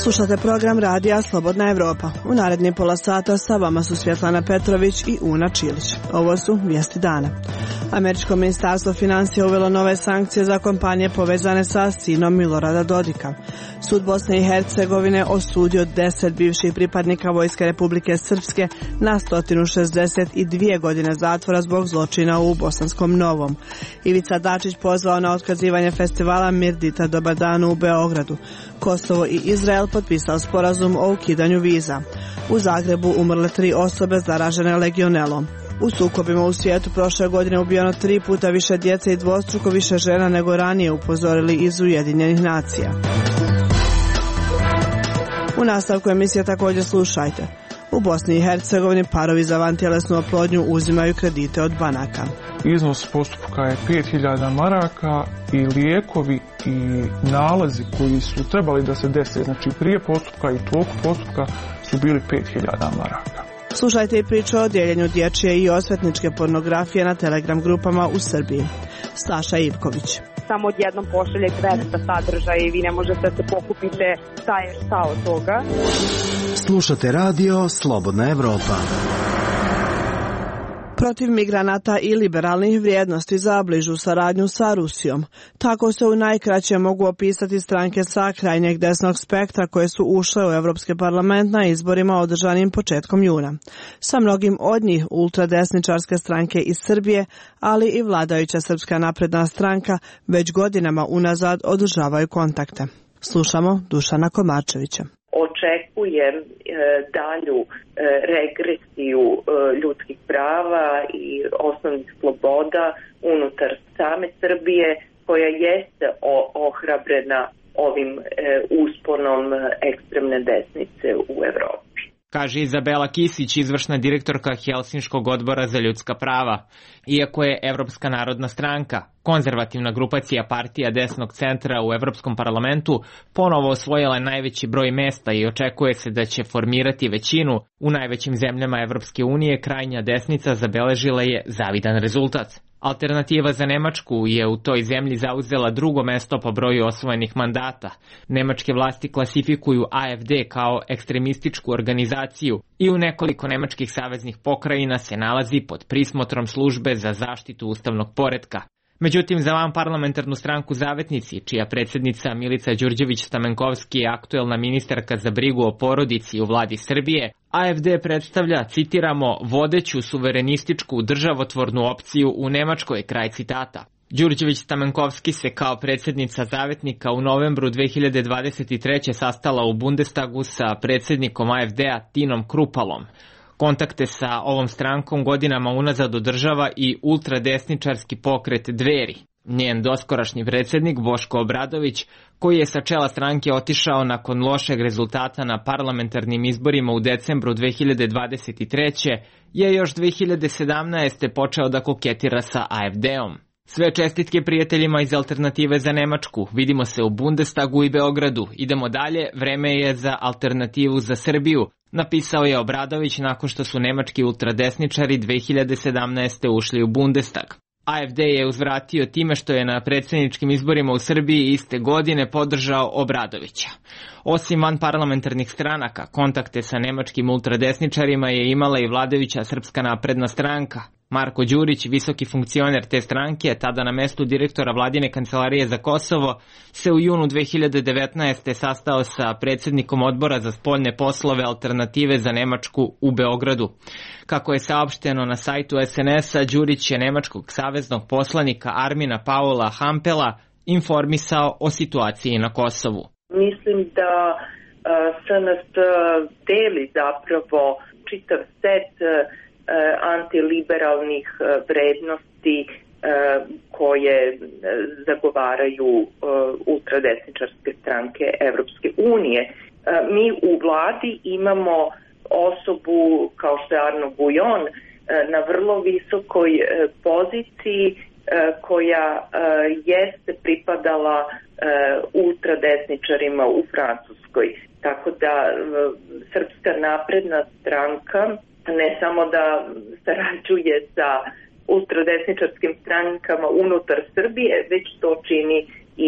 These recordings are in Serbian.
Slušate program radija Slobodna Evropa. U narednih pola sata sa vama su Svjetlana Petrović i Una Čilić. Ovo su vijesti dana. Američko ministarstvo financija uvelo nove sankcije za kompanije povezane sa sinom Milorada Dodika. Sud Bosne i Hercegovine osudio 10 bivših pripadnika Vojske Republike Srpske na 162 godine zatvora zbog zločina u Bosanskom Novom. Ivica Dačić pozvao na otkazivanje festivala Mirdita Dobar dan u Beogradu. Kosovo i Izrael potpisao sporazum o ukidanju viza. U Zagrebu umrle 3 osobe zaražene legionelom. U sukobima u svijetu prošle godine ubijeno 3 puta više djece i dvostruko više žena nego ranije, upozorili iz Ujedinjenih nacija. U nastavku emisije također slušajte. U Bosni i Hercegovini parovi za vantjelesnu oplodnju uzimaju kredite od banaka. Iznos postupka je 5000 maraka i lijekovi i nalazi koji su trebali da se dese, znači prije postupka i toku postupka, su bili 5000 maraka. Slušajte i priču o dijeljenju dječje i osvetničke pornografije na Telegram grupama u Srbiji. Saša Ivković. Samo odjednom pošalje 200 sadržaja i vi ne možete da se pokupite šta je šta od toga. Slušate radio Slobodna Evropa. Protiv migranata i liberalnih vrijednosti za bližu saradnju sa Rusijom. Tako se u najkraće mogu opisati stranke sa krajnjeg desnog spektra koje su ušle u Evropski parlament na izborima održanim početkom juna. Sa mnogim od njih ultradesničarske stranke iz Srbije, ali i vladajuća Srpska napredna stranka već godinama unazad održavaju kontakte. Slušamo Dušana Komarčevića. Očekujem dalju regresiju ljudskih prava i osnovnih sloboda unutar same Srbije, koja jeste ohrabrena ovim usponom ekstremne desnice u Evropi. Kaže Izabela Kisić, izvršna direktorka Helsinškog odbora za ljudska prava. Iako je Evropska narodna stranka, konzervativna grupacija partija desnog centra u Evropskom parlamentu, ponovo osvojila najveći broj mesta i očekuje se da će formirati većinu u najvećim zemljama Evropske unije, krajnja desnica zabeležila je zavidan rezultat. Alternativa za Nemačku je u toj zemlji zauzela drugo mesto po broju osvojenih mandata. Nemačke vlasti klasifikuju AfD kao ekstremističku organizaciju i u nekoliko nemačkih saveznih pokrajina se nalazi pod prismotrom službe za zaštitu ustavnog poretka. Međutim, za vanparlamentarnu stranku Zavetnici, čija predsjednica Milica Đurđević-Stamenkovski je aktuelna ministarka za brigu o porodici u vladi Srbije, AfD predstavlja, citiramo, vodeću suverenističku državotvornu opciju u Nemačkoj, kraj citata. Đurđević-Stamenkovski se kao predsjednica Zavetnika u novembru 2023. sastala u Bundestagu sa predsjednikom AfD-a Tinom Krupalom. Kontakte sa ovom strankom godinama unazad održava i ultradesničarski pokret Dveri. Njen doskorašnji predsjednik Boško Obradović, koji je sa čela stranke otišao nakon lošeg rezultata na parlamentarnim izborima u decembru 2023. je još 2017. počeo da koketira sa AfD-om. Sve čestitke prijateljima iz Alternative za Nemačku. Vidimo se u Bundestagu i Beogradu. Idemo dalje, vreme je za Alternativu za Srbiju, napisao je Obradović nakon što su nemački ultradesničari 2017. ušli u Bundestag. AfD je uzvratio time što je na predsjedničkim izborima u Srbiji iste godine podržao Obradovića. Osim vanparlamentarnih stranaka, kontakte sa nemačkim ultradesničarima je imala i vladajuća Srpska napredna stranka. Marko Đurić, visoki funkcioner te stranke, tada na mestu direktora vladine kancelarije za Kosovo, se u junu 2019. sastao sa predsjednikom odbora za spoljne poslove Alternative za Nemačku u Beogradu. Kako je saopšteno na sajtu SNS-a, Đurić je nemačkog saveznog poslanika Armina Paula Hampela informisao o situaciji na Kosovu. Mislim da SNS deli zapravo čitav set antiliberalnih vrednosti koje zagovaraju ultradesničarske stranke Evropske unije. Mi u vladi imamo osobu kao što je Arnaud Bouillon na vrlo visokoj poziciji koja jeste pripadala ultradesničarima u Francuskoj. Tako da Srpska napredna stranka ne samo da sarađuje sa ultradesničarskim strankama unutar Srbije, već to čini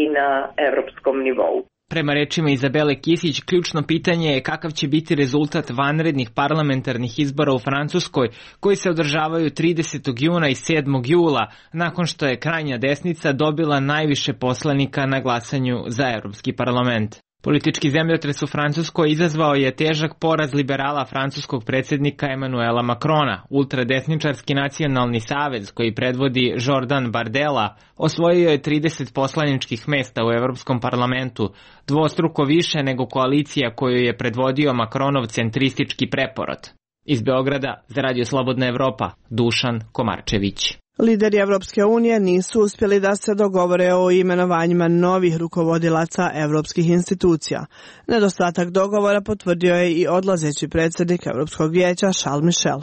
i na evropskom nivou. Prema rečima Izabele Kisić, ključno pitanje je kakav će biti rezultat vanrednih parlamentarnih izbora u Francuskoj, koji se održavaju 30. juna i 7. jula, nakon što je krajnja desnica dobila najviše poslanika na glasanju za Evropski parlament. Politički zemljotres u Francuskoj izazvao je težak poraz liberala francuskog predsjednika Emmanuela Macrona. Ultradesničarski nacionalni savez, koji predvodi Jordan Bardella, osvojio je 30 poslaničkih mesta u Evropskom parlamentu, dvostruko više nego koalicija koju je predvodio Macronov centristički preporod. Iz Beograda za Radio Slobodna Evropa, Dušan Komarčević. Lideri Evropske unije nisu uspjeli da se dogovore o imenovanjima novih rukovodilaca evropskih institucija. Nedostatak dogovora potvrdio je i odlazeći predsjednik Evropskog vijeća Charles Michel.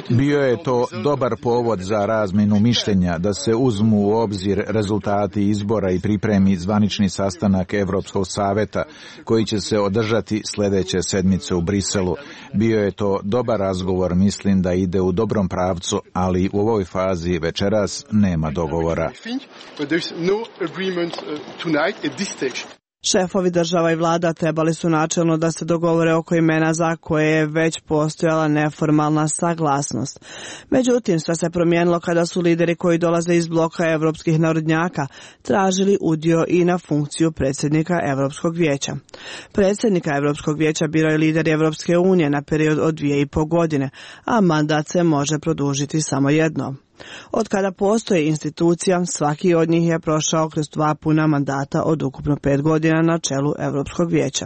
Bio je to dobar povod za razmjenu mišljenja, da se uzmu u obzir rezultati izbora i pripremi zvanični sastanak Evropskog saveta koji će se održati sljedeće sedmice u Briselu. Bio je to dobar razgovor, mislim da ide u dobrom pravcu, ali u ovoj fazi večeras nema dogovora. Šefovi država i vlada trebali su načelno da se dogovore oko imena za koje je već postojala neformalna saglasnost. Međutim, sve se promijenilo kada su lideri koji dolaze iz bloka evropskih narodnjaka tražili udio i na funkciju predsjednika Evropskog vijeća. Predsjednika Evropskog vijeća biraju lideri Evropske unije na period od 2,5 godine, a mandat se može produžiti samo jednom. Od kada postoji institucija, svaki od njih je prošao kroz 2 puna mandata od ukupno 5 godina na čelu Evropskog vijeća.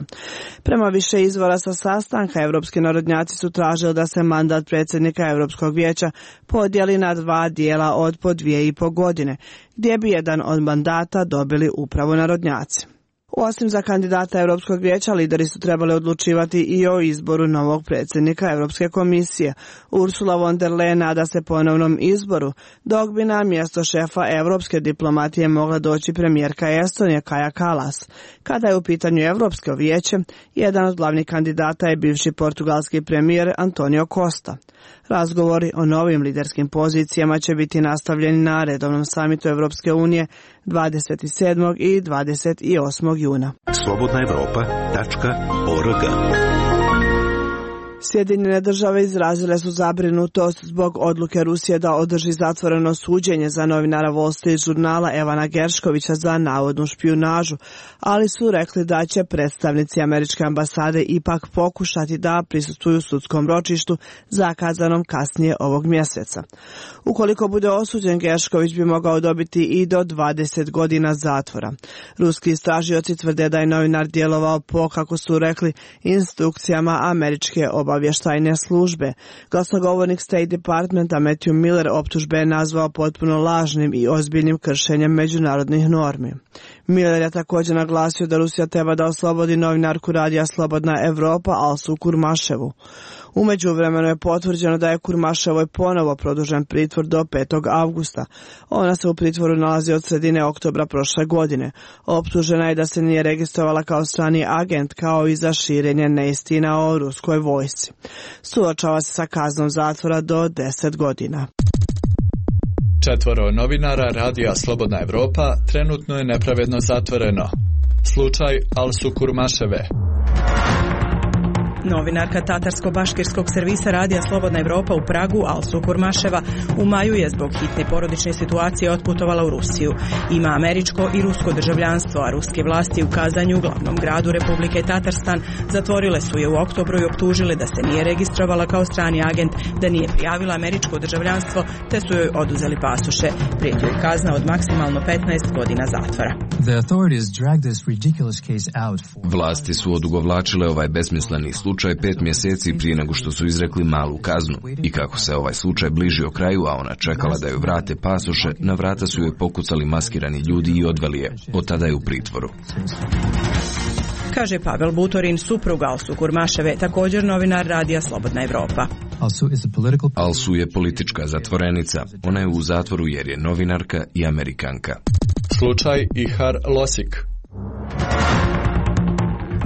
Prema više izvora sa sastanka, evropski narodnjaci su tražili da se mandat predsjednika Evropskog vijeća podijeli na 2 dijela od po 2,5 godine, gdje bi jedan od mandata dobili upravo narodnjaci. Osim za kandidata Europskog vijeća, lideri su trebali odlučivati i o izboru novog predsjednika Europske komisije. Ursula von der Leyen nada se ponovnom izboru, dok bi na mjesto šefa europske diplomatije mogla doći premijerka Estonije Kaja Kallas. Kada je u pitanju Europsko vijeće, jedan od glavnih kandidata je bivši portugalski premijer Antonio Costa. Razgovori o novim liderskim pozicijama će biti nastavljeni na redovnom samitu Evropske unije 27. i 28. juna. slobodnaevropa.org. Sjedinjene države izrazile su zabrinutost zbog odluke Rusije da održi zatvoreno suđenje za novinara Wall Street žurnala Evana Gerškovića za navodnu špijunažu, ali su rekli da će predstavnici američke ambasade ipak pokušati da prisustvuju sudskom ročištu zakazanom kasnije ovog mjeseca. Ukoliko bude osuđen, Geršković bi mogao dobiti i do 20 godina zatvora. Ruski istražioci tvrde da je novinar djelovao po, kako su rekli, instrukcijama američke obavještajne službe. Glasnogovornik State Departmenta Matthew Miller optužbe je nazvao potpuno lažnim i ozbiljnim kršenjem međunarodnih normi. Miller je također naglasio da Rusija treba da oslobodi novinarku radija Slobodna Evropa Alsu Kurmaševu. U međuvremenu je potvrđeno da je Kurmaševoj ponovo produžen pritvor do 5. avgusta. Ona se u pritvoru nalazi od sredine oktobra prošle godine. Optužena je da se nije registrovala kao strani agent, kao i za širenje neistina o ruskoj vojsci. Suočava se sa kaznom zatvora do 10 godina. 4 novinara radija Slobodna Evropa trenutno je nepravedno zatvoreno. Slučaj Alsu Kurmaševe. Novinarka tatarsko-baškirskog servisa radija Slobodna Evropa u Pragu, Alsu Kurmaševa, u maju je zbog hitne porodične situacije otputovala u Rusiju. Ima američko i rusko državljanstvo, a ruske vlasti u Kazanju, glavnom gradu Republike Tatarstan, zatvorile su je u oktobru i optužile da se nije registrovala kao strani agent, da nije prijavila američko državljanstvo, te su joj oduzeli pasoše. Prijeti joj kazna od maksimalno 15 godina zatvora. Vlasti su odugovlačile ovaj besmisleni slučaj 5 mjeseci prije nego što su izrekli malu kaznu. I kako se ovaj slučaj bližio kraju, a ona čekala da joj vrate pasoše, na vrata su joj pokucali maskirani ljudi i odveli je. Od tada je u pritvoru. Kaže Pavel Butorin, suprug Alsu Kurmaševe, također novinar radija Slobodna Evropa. Alsu je politička zatvorenica. Ona je u zatvoru jer je novinarka i Amerikanka. Slučaj Ihar Losik.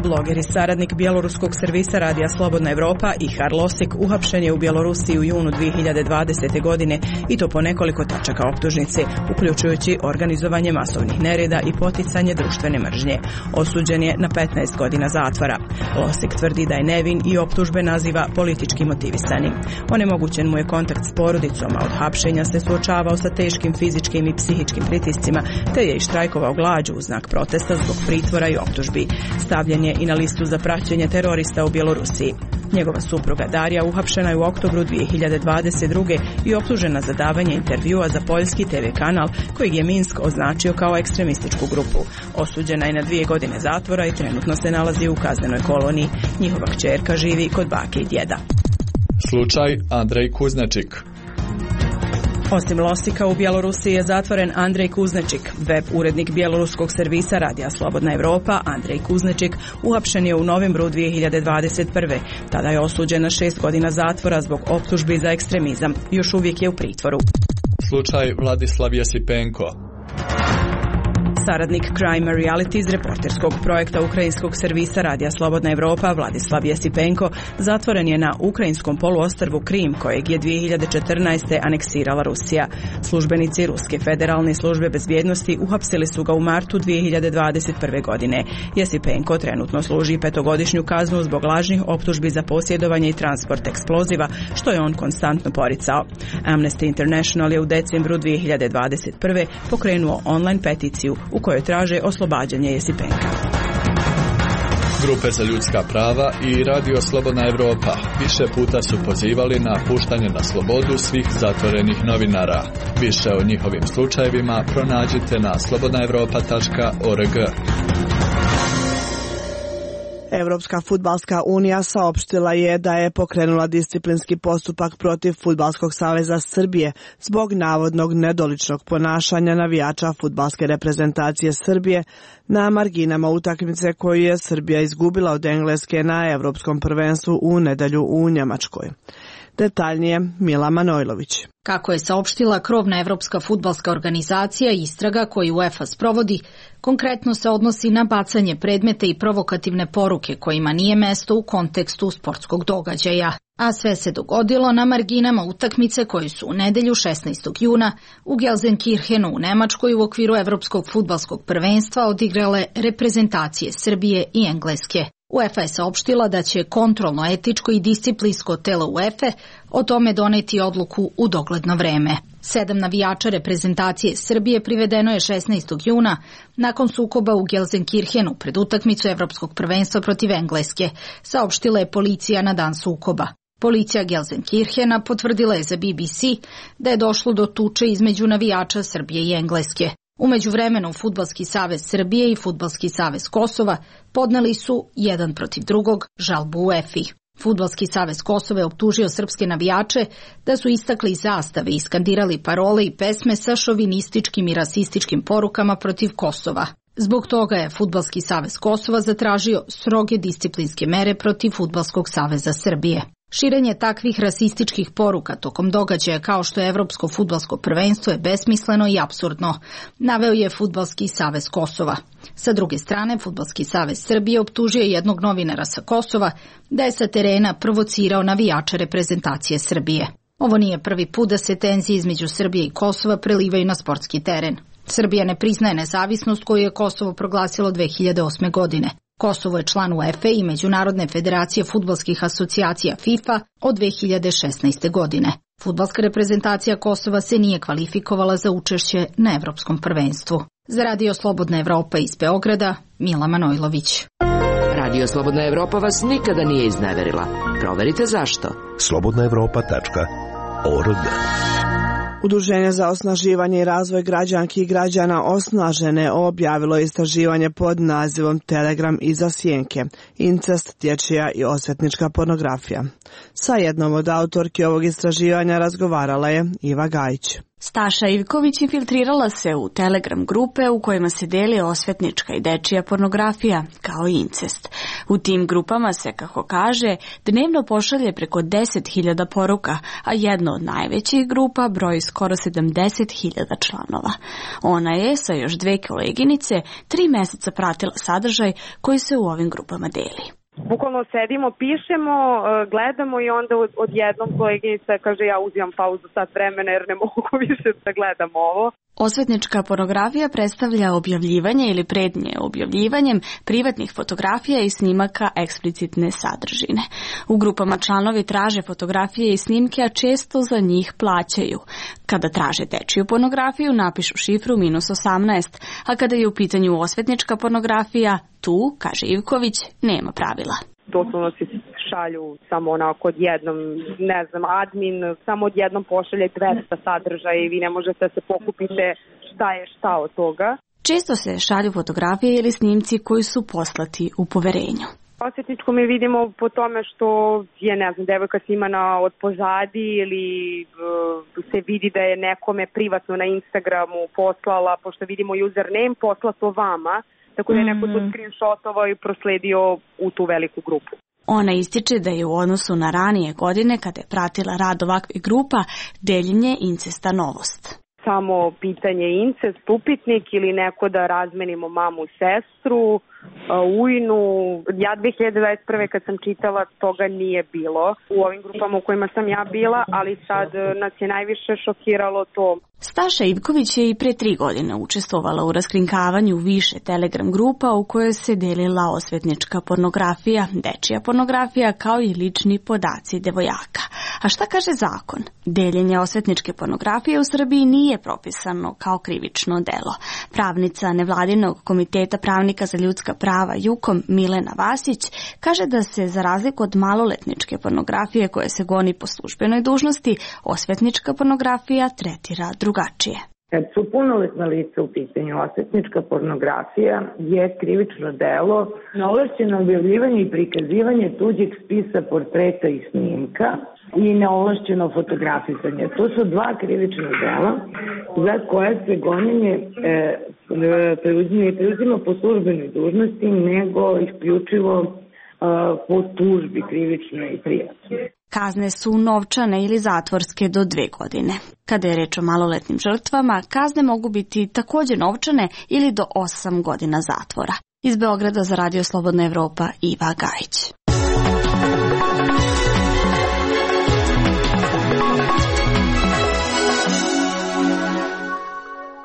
Bloger i saradnik bjeloruskog servisa Radija Slobodna Evropa Ihar Losik uhapšen je u Bjelorusiji u junu 2020. godine i to po nekoliko tačaka optužnice, uključujući organizovanje masovnih nereda i poticanje društvene mržnje. Osuđen je na 15 godina zatvora. Losik tvrdi da je nevin i optužbe naziva politički motivisanim. Onemogućen mu je kontakt s porodicom, a od hapšenja se suočavao sa teškim fizičkim i psihičkim pritiscima, te je i štrajkovao glađu u znak protesta zbog pritvora i optužbi. Stavljen je i na listu za praćenje terorista u Bjelorusiji. Njegova supruga Darija uhapšena je u oktobru 2022. i optužena za davanje intervjua za poljski TV kanal kojeg je Minsk označio kao ekstremističku grupu. Osuđena je na 2 godine zatvora i trenutno se nalazi u kaznenoj koloniji. Njihova kćerka živi kod bake i djeda. Slučaj Andrej Kuznečik. Osim Losika, u Bjelorusiji je zatvoren Andrej Kuznečik. Web urednik bjeloruskog servisa Radija Slobodna Evropa, Andrej Kuznečik, uhapšen je u novembru 2021. Tada je osuđen na 6 godina zatvora zbog optužbi za ekstremizam. Još uvijek je u pritvoru. Slučaj Vladislav Jesipenko. Saradnik Crime Reality iz reporterskog projekta ukrajinskog servisa Radija Slobodna Evropa Vladislav Jesipenko zatvoren je na ukrajinskom poluostrvu Krim, kojeg je 2014. aneksirala Rusija. Službenici Ruske federalne službe bezbjednosti uhapsili su ga u martu 2021. godine. Jesipenko trenutno služi 5-godišnju kaznu zbog lažnih optužbi za posjedovanje i transport eksploziva, što je on konstantno poricao. Amnesty International je u decembru 2021. pokrenuo online peticiju u kojoj traže oslobađanje Jesipenka. Grupe za ljudska prava i Radio Slobodna Evropa više puta su pozivali na puštanje na slobodu svih zatvorenih novinara. Više o njihovim slučajevima pronađite na slobodnaevropa.org. Evropska fudbalska unija saopštila je da je pokrenula disciplinski postupak protiv Fudbalskog saveza Srbije zbog navodnog nedoličnog ponašanja navijača fudbalske reprezentacije Srbije na marginama utakmice koju je Srbija izgubila od Engleske na Evropskom prvenstvu u nedelju u Njemačkoj. Detaljnije Mila Manojlović. Kako je saopštila krovna Evropska fudbalska organizacija, istraga koju UEFA sprovodi konkretno se odnosi na bacanje predmeta i provokativne poruke kojima nije mesto u kontekstu sportskog događaja. A sve se dogodilo na marginama utakmice koje su u nedelju 16. juna u Gelsenkirchenu u Nemačkoj u okviru Evropskog fudbalskog prvenstva odigrale reprezentacije Srbije i Engleske. UEFA je saopštila da će kontrolno, etičko i disciplinsko telo UEFA o tome doneti odluku u dogledno vreme. 7 navijača reprezentacije Srbije privedeno je 16. juna nakon sukoba u Gelsenkirchenu pred utakmicu Evropskog prvenstva protiv Engleske, saopštila je policija na dan sukoba. Policija Gelsenkirchena potvrdila je za BBC da je došlo do tuče između navijača Srbije i Engleske. U međuvremenu Fudbalski savez Srbije i Fudbalski savez Kosova podneli su jedan protiv drugog žalbu UEFA-i. Fudbalski savez Kosova je optužio srpske navijače da su istakli zastave i skandirali parole i pesme sa šovinističkim i rasističkim porukama protiv Kosova. Zbog toga je Fudbalski savez Kosova zatražio stroge disciplinske mere protiv Fudbalskog saveza Srbije. Širenje takvih rasističkih poruka tokom događaja kao što je Evropsko fudbalsko prvenstvo je besmisleno i apsurdno, naveo je Fudbalski savez Kosova. Sa druge strane, Fudbalski savez Srbije optužio jednog novinara sa Kosova da je sa terena provocirao navijače reprezentacije Srbije. Ovo nije prvi put da se tenzije između Srbije i Kosova prelivaju na sportski teren. Srbija ne priznaje nezavisnost koju je Kosovo proglasilo 2008. godine. Kosovo je član UEFA i Međunarodne federacije fudbalskih asocijacija FIFA od 2016. godine. Fudbalska reprezentacija Kosova se nije kvalifikovala za učešće na Evropskom prvenstvu. Za Radio Slobodna Evropa iz Beograda, Mila Manojlović. Radio Slobodna Evropa vas nikada nije izneverila. Proverite zašto. slobodnaevropa.org. Udruženje za osnaživanje i razvoj građanki i građana Osnažene objavilo istraživanje pod nazivom Telegram iza sjenke, incest, dječja i osvetnička pornografija. Sa jednom od autorki ovog istraživanja razgovarala je Iva Gajić. Staša Ivković infiltrirala se u Telegram grupe u kojima se deli osvetnička i dečija pornografija, kao i incest. U tim grupama se, kako kaže, dnevno pošalje preko 10.000 poruka, a jedna od najvećih grupa broji skoro 70.000 članova. Ona je, sa još 2 koleginice, 3 meseca pratila sadržaj koji se u ovim grupama deli. Bukvalno sedimo, pišemo, gledamo i onda odjednom koleginica kaže ja uzimam pauzu sat vremena jer ne mogu više da gledam ovo. Osvetnička pornografija predstavlja objavljivanje ili prednje objavljivanjem privatnih fotografija i snimaka eksplicitne sadržine. U grupama članovi traže fotografije i snimke, a često za njih plaćaju. Kada traže dečiju pornografiju, napišu šifru -18, a kada je u pitanju osvetnička pornografija, tu, kaže Ivković, nema pravila. Doslovno se šalju samo onako odjednom, ne znam, admin samo odjednom pošalje 200 sadržaja i vi ne možete da se pokupite šta je šta od toga. Često se šalju fotografije ili snimci koji su poslati u poverenju. Osvetničko mi vidimo po tome što je, ne znam, devojka snimana od pozadi ili se vidi da je nekome privatno na Instagramu poslala, pošto vidimo username, poslato vama, tako da je neko to screenshotovao i prosledio u tu veliku grupu. Ona ističe da je u odnosu na ranije godine, kada je pratila rad ovakvih grupa, deljenje incesta novost. Samo pitanje incest, upitnik ili neko da razmenimo mamu, sestru, ujnu. Ja 2021. kad sam čitala, toga nije bilo u ovim grupama u kojima sam ja bila, ali sad nas je najviše šokiralo to. Staša Ivković je i pre 3 godine učestvovala u raskrinkavanju više Telegram grupa u kojoj se delila osvetnička pornografija, dečija pornografija kao i lični podaci devojaka. A šta kaže zakon? Deljenje osvetničke pornografije u Srbiji nije propisano kao krivično delo. Pravnica Nevladinog komiteta pravnika za ljudska prava JUKOM Milena Vasić kaže da se, za razliku od maloletničke pornografije koje se goni po službenoj dužnosti, osvetnička pornografija tretira drugačije. Kad su punoletna lica u pitanju, osvetnička pornografija je krivično delo, neovlašćeno objavljivanje i prikazivanje tuđeg spisa portreta i snimka i neovlašćeno fotografisanje. To su 2 krivična dela za koje se gonjenje preuzima po službenoj dužnosti, nego isključivo po tužbi krivičnoj i privatnoj. Kazne su novčane ili zatvorske do 2 godine. Kada je reč o maloletnim žrtvama, kazne mogu biti također novčane ili do 8 godina zatvora. Iz Beograda za Radio Slobodna Evropa, Iva Gajić.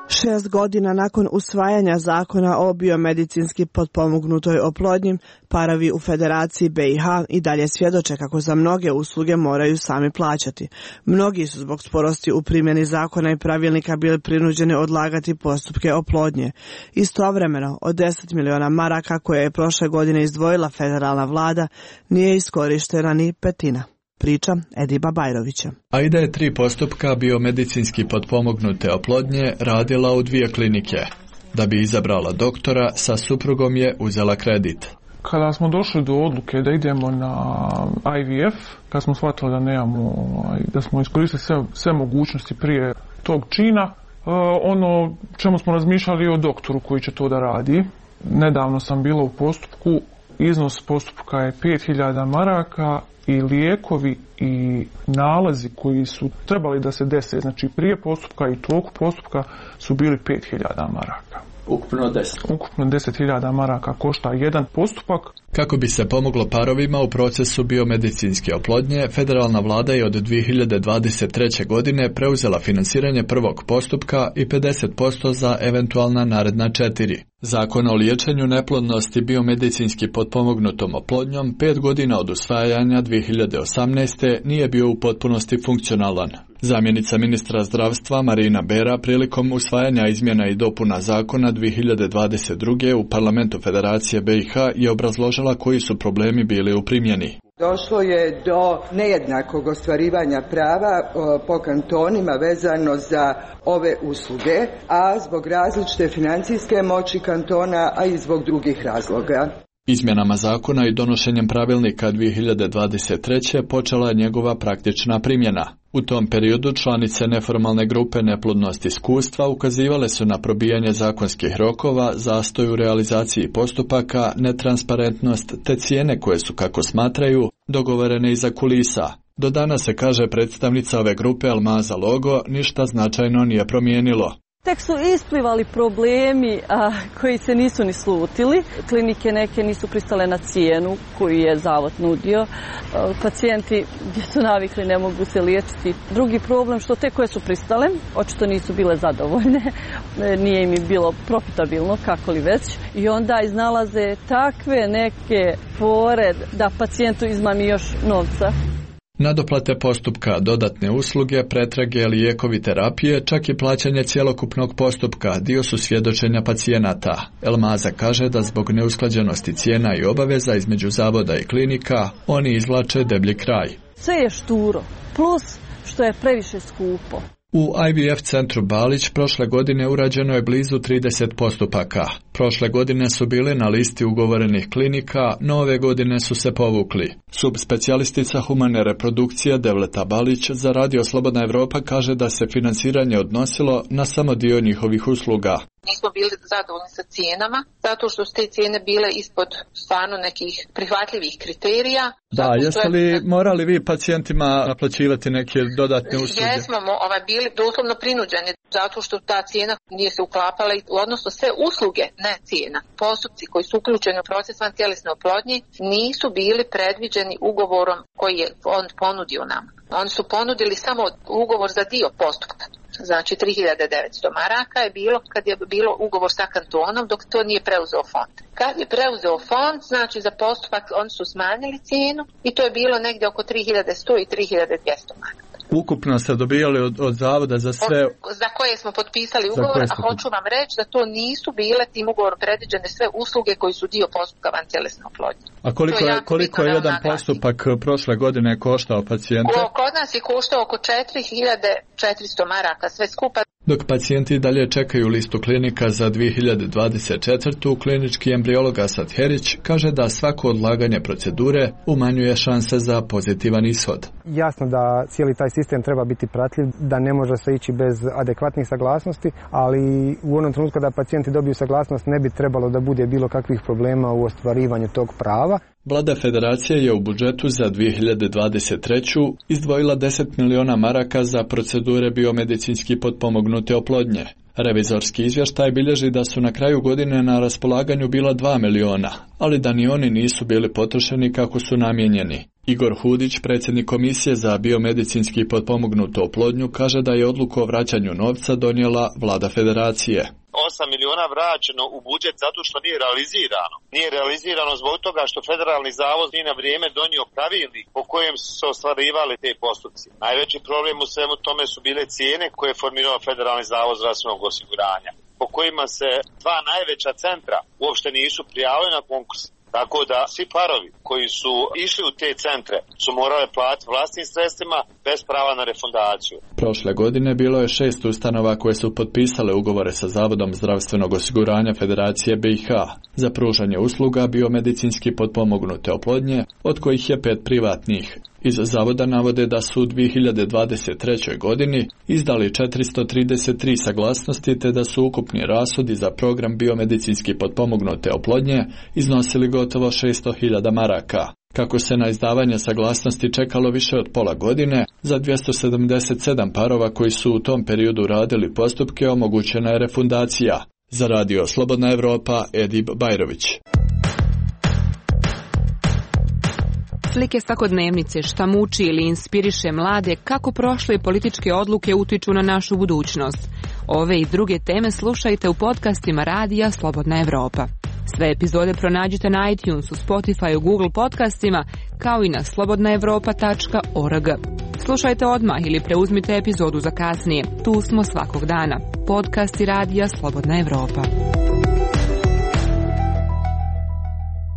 Šest godina nakon usvajanja zakona o biomedicinski potpomognutoj oplodnji, parovi u Federaciji BiH i dalje svjedoče kako za mnoge usluge moraju sami plaćati. Mnogi su zbog sporosti u primjeni zakona i pravilnika bili prinuđeni odlagati postupke oplodnje. Istovremeno, od 10 miliona maraka koje je prošle godine izdvojila federalna vlada, nije iskorištena ni petina. Priča Ediba Bajrovića. Aida je 3 postupka biomedicinski potpomognute oplodnje radila u 2 klinike. Da bi izabrala doktora, sa suprugom je uzela kredit. Kada smo došli do odluke da idemo na IVF, kad smo shvatili da nemamo, da smo iskoristili sve mogućnosti prije tog čina, ono čemu smo razmišljali o doktoru koji će to da radi. Nedavno sam bila u postupku, iznos postupka je 5.000 maraka i lijekovi i nalazi koji su trebali da se dese, znači prije postupka i toku postupka, su bili 5.000 maraka. Ukupno 10. Ukupno 10.000 maraka košta jedan postupak. Kako bi se pomoglo parovima u procesu biomedicinske oplodnje, federalna vlada je od 2023. godine preuzela finansiranje prvog postupka i 50% za eventualna naredna 4. Zakon o liječenju neplodnosti biomedicinski potpomognutom oplodnjom 5 godina od usvajanja 2018. nije bio u potpunosti funkcionalan. Zamjenica ministra zdravstva Marina Bera prilikom usvajanja izmjena i dopuna zakona 2022. u Parlamentu Federacije BiH je obrazložila koji su problemi bili u primjeni. Došlo je do nejednakog ostvarivanja prava po kantonima vezano za ove usluge, a zbog različite financijske moći kantona, a i zbog drugih razloga. Izmjenama zakona i donošenjem pravilnika 2023. počela je njegova praktična primjena. U tom periodu članice neformalne grupe Neplodnost iskustva ukazivale su na probijanje zakonskih rokova, zastoj u realizaciji postupaka, netransparentnost te cijene koje su, kako smatraju, dogovorene iza kulisa. Do danas, se kaže predstavnica ove grupe Almaza Logo, ništa značajno nije promijenilo. Tek su isplivali problemi koji se nisu ni slutili. Klinike neke nisu pristale na cijenu koju je zavod nudio. Pacijenti gdje su navikli ne mogu se liječiti. Drugi problem što te koje su pristale očito nisu bile zadovoljne. Nije im bilo profitabilno, kako li već. I onda iznalaze takve neke fore da pacijentu izmami još novca. Nadoplate postupka, dodatne usluge, pretrage, lijekovi, terapije, čak i plaćanje cjelokupnog postupka dio su svjedočenja pacijenata. Elmaza kaže da zbog neusklađenosti cijena i obaveza između zavoda i klinika, oni izvlače deblji kraj. Sve je šturo, plus što je previše skupo. U IVF centru Balić prošle godine urađeno je blizu 30 postupaka. Prošle godine su bili na listi ugovorenih klinika, no ove godine su se povukli. Subspecijalistica humane reprodukcije Devleta Balić za Radio Slobodna Evropa kaže da se financiranje odnosilo na samo dio njihovih usluga. Nismo bili zadovoljni sa cijenama, zato što su te cijene bile ispod stvarno nekih prihvatljivih kriterija. Da, jeste li morali vi pacijentima naplaćivati neke dodatne usluge? Jesmo bili doslovno prinuđeni, zato što ta cijena nije se uklapala, odnosno sve usluge, ne cijena. Postupci koji su uključeni u proces vantjelesne oplodnje nisu bili predviđeni ugovorom koji je on ponudio nam. Oni su ponudili samo ugovor za dio postupka. Znači 3.900 maraka je bilo kad je bilo ugovor sa kantonom, dok to nije preuzeo fond. Kad je preuzeo fond, znači za postupak oni su smanjili cijenu i to je bilo negdje oko 3.100 i 3.200 maraka. Ukupno ste dobijali od zavoda za sve... Za koje smo potpisali ugovor, a hoću vam reći da to nisu bile tim ugovorom predviđene sve usluge koji su dio postupka vantjelesne oplodnje. A koliko je jedan postupak prošle godine koštao pacijente? Kod nas je koštao oko 4.400 maraka, sve skupa. Dok pacijenti dalje čekaju listu klinika za 2024. klinički embriolog Asad Herić kaže da svako odlaganje procedure umanjuje šanse za pozitivan ishod. Jasno da cijeli taj sistem treba biti pratljiv, da ne može se ići bez adekvatnih saglasnosti, ali u onom trenutku da pacijenti dobiju saglasnost ne bi trebalo da bude bilo kakvih problema u ostvarivanju tog prava. Vlada Federacije je u budžetu za 2023. izdvojila 10 miliona maraka za procedure biomedicinski potpomognute oplodnje. Revizorski izvještaj bilježi da su na kraju godine na raspolaganju bila 2 miliona, ali da ni oni nisu bili potrošeni kako su namijenjeni. Igor Hudić, predsjednik Komisije za biomedicinski potpomognutu oplodnju, kaže da je odluku o vraćanju novca donijela Vlada Federacije. 8 miliona vraćeno u budžet zato što nije realizirano. Nije realizirano zbog toga što Federalni zavod nije na vrijeme donio pravilnik po kojem su se ostvarivali te postupci. Najveći problem u svemu tome su bile cijene koje je formirao Federalni zavod zdravstvenog osiguranja, po kojima se dva najveća centra uopšte nisu prijavili na konkurs. Tako da svi parovi koji su išli u te centre su morali platiti vlastnim sredstvima bez prava na refundaciju. Prošle godine bilo je 6 ustanova koje su potpisale ugovore sa Zavodom zdravstvenog osiguranja Federacije BiH za pružanje usluga biomedicinski potpomognute oplodnje, od kojih je 5 privatnih. Iz zavoda navode da su u 2023. godini izdali 433 saglasnosti te da su ukupni rashodi za program biomedicinski potpomognute oplodnje iznosili gotovo 600.000 maraka. Kako se na izdavanje saglasnosti čekalo više od pola godine, za 277 parova koji su u tom periodu radili postupke omogućena je refundacija. Za Radio Slobodna Evropa, Edib Bajrović. Slike svakodnevnice, šta muči ili inspiriše mlade, kako prošle političke odluke utiču na našu budućnost. Ove i druge teme slušajte u podcastima Radija Slobodna Evropa. Sve epizode pronađite na iTunesu, Spotifyu, Google podcastima, kao i na slobodnaevropa.org. Slušajte odmah ili preuzmite epizodu za kasnije. Tu smo svakog dana. Podcasti Radija Slobodna Evropa.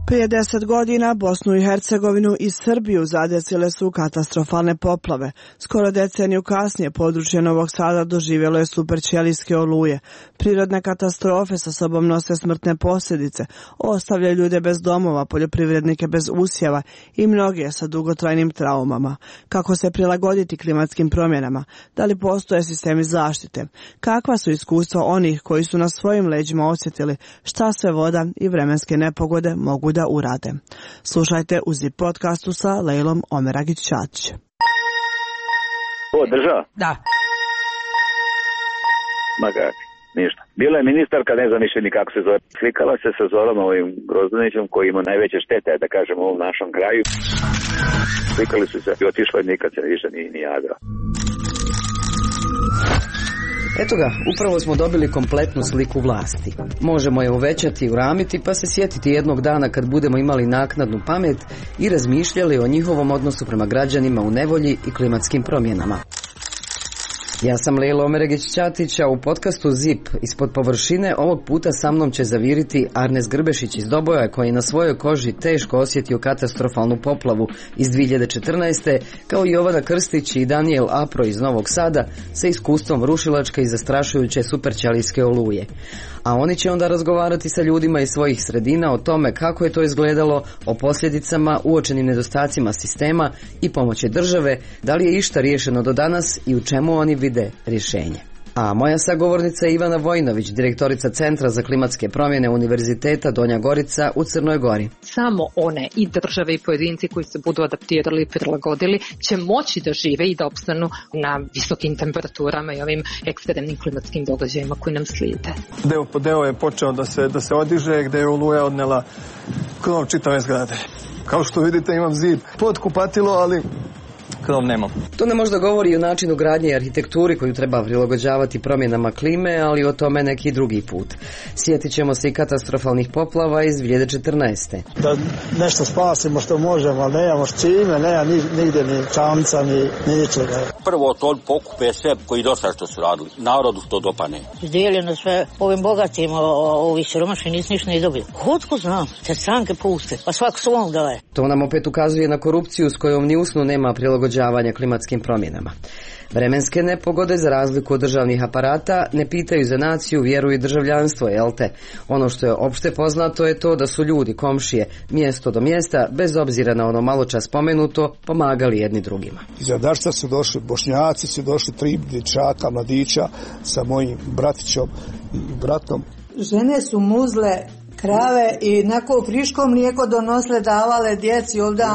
Prije 10 godina Bosnu i Hercegovinu i Srbiju zadesile su katastrofalne poplave. Skoro deceniju kasnije područje Novog Sada doživjelo je superćelijske oluje. Prirodne katastrofe sa sobom nose smrtne posljedice, ostavljaju ljude bez domova, poljoprivrednike bez usjeva i mnoge sa dugotrajnim traumama. Kako se prilagoditi klimatskim promjenama? Da li postoje sistemi zaštite? Kakva su iskustva onih koji su na svojim leđima osjetili šta sve voda i vremenske nepogode mogu da urade? Slušajte u ZIP podcastu sa Lejlom Omeragić-Ćatić. Ovo država? Da. Ma kak, ništa. Bila je ministarka, ne znam više ni kako se zove. Slikala se sa Zorom ovim Grozdanićem koji ima najveće štete, da kažem, u ovom našem kraju. Slikali su se i otišla i nikad se više ni javila. Eto ga, upravo smo dobili kompletnu sliku vlasti. Možemo je uvećati i uramiti pa se sjetiti jednog dana kad budemo imali naknadnu pamet i razmišljali o njihovom odnosu prema građanima u nevolji i klimatskim promjenama. Ja sam Lejla Omeragić-Ćatić, a u podcastu ZIP ispod površine ovog puta sa mnom će zaviriti Arnes Grbešić iz Doboja, koji na svojoj koži teško osjetio katastrofalnu poplavu iz 2014. kao i Jovana Krstić i Daniel Apro iz Novog Sada sa iskustvom rušilačke i zastrašujuće superćelijske oluje. A oni će onda razgovarati sa ljudima iz svojih sredina o tome kako je to izgledalo, o posljedicama, uočenim nedostacima sistema i pomoći države, da li je išta riješeno do danas i u čemu oni vide rješenje. A moja sagovornica je Ivana Vojnović, direktorica Centra za klimatske promjene Univerziteta Donja Gorica u Crnoj Gori. Samo one i države i pojedinci koji se budu adaptirali i prilagodili će moći da žive i da opstanu na visokim temperaturama i ovim ekstremnim klimatskim događajima koji nam slijede. Deo po deo je počeo da se odiže, gde je oluja odnela krov čitave zgrade. Kao što vidite, imam zid pod kupatilo, ali krov nemam. To ne možda govori o načinu gradnje i arhitekturi koju treba prilagođavati promjenama klime, ali o tome neki drugi put. Sjetit ćemo se i katastrofalnih poplava iz 2014. Da nešto spasimo što možemo, ali nemamo s čime, nema nigdje ni čamca, ni ničega. Prvo to pokupe sve koji dosta što su radili. Narodu što dopane. Izdijeljeno sve ovim bogatima, ovi siromašni nisu ništa ne dobili. Otko znam, te stranke puste, pa svako svom daje. To nam opet ukazuje na korupciju s kojom ni usnu nema prilagođavanja klimatskim promjenama. Vremenske nepogode, za razliku od državnih aparata, ne pitaju za naciju, vjeru i državljanstvo, jel te? Ono što je opšte poznato je to da su ljudi, komšije, mjesto do mjesta, bez obzira na ono maločas spomenuto, pomagali jedni drugima. Iz Adarca su došli Bošnjaci, su došli 3 dječaka, mladića sa mojim bratićom i bratom. Žene su muzle krave i nako friško mlijeko donosle, davale djeci ovdje.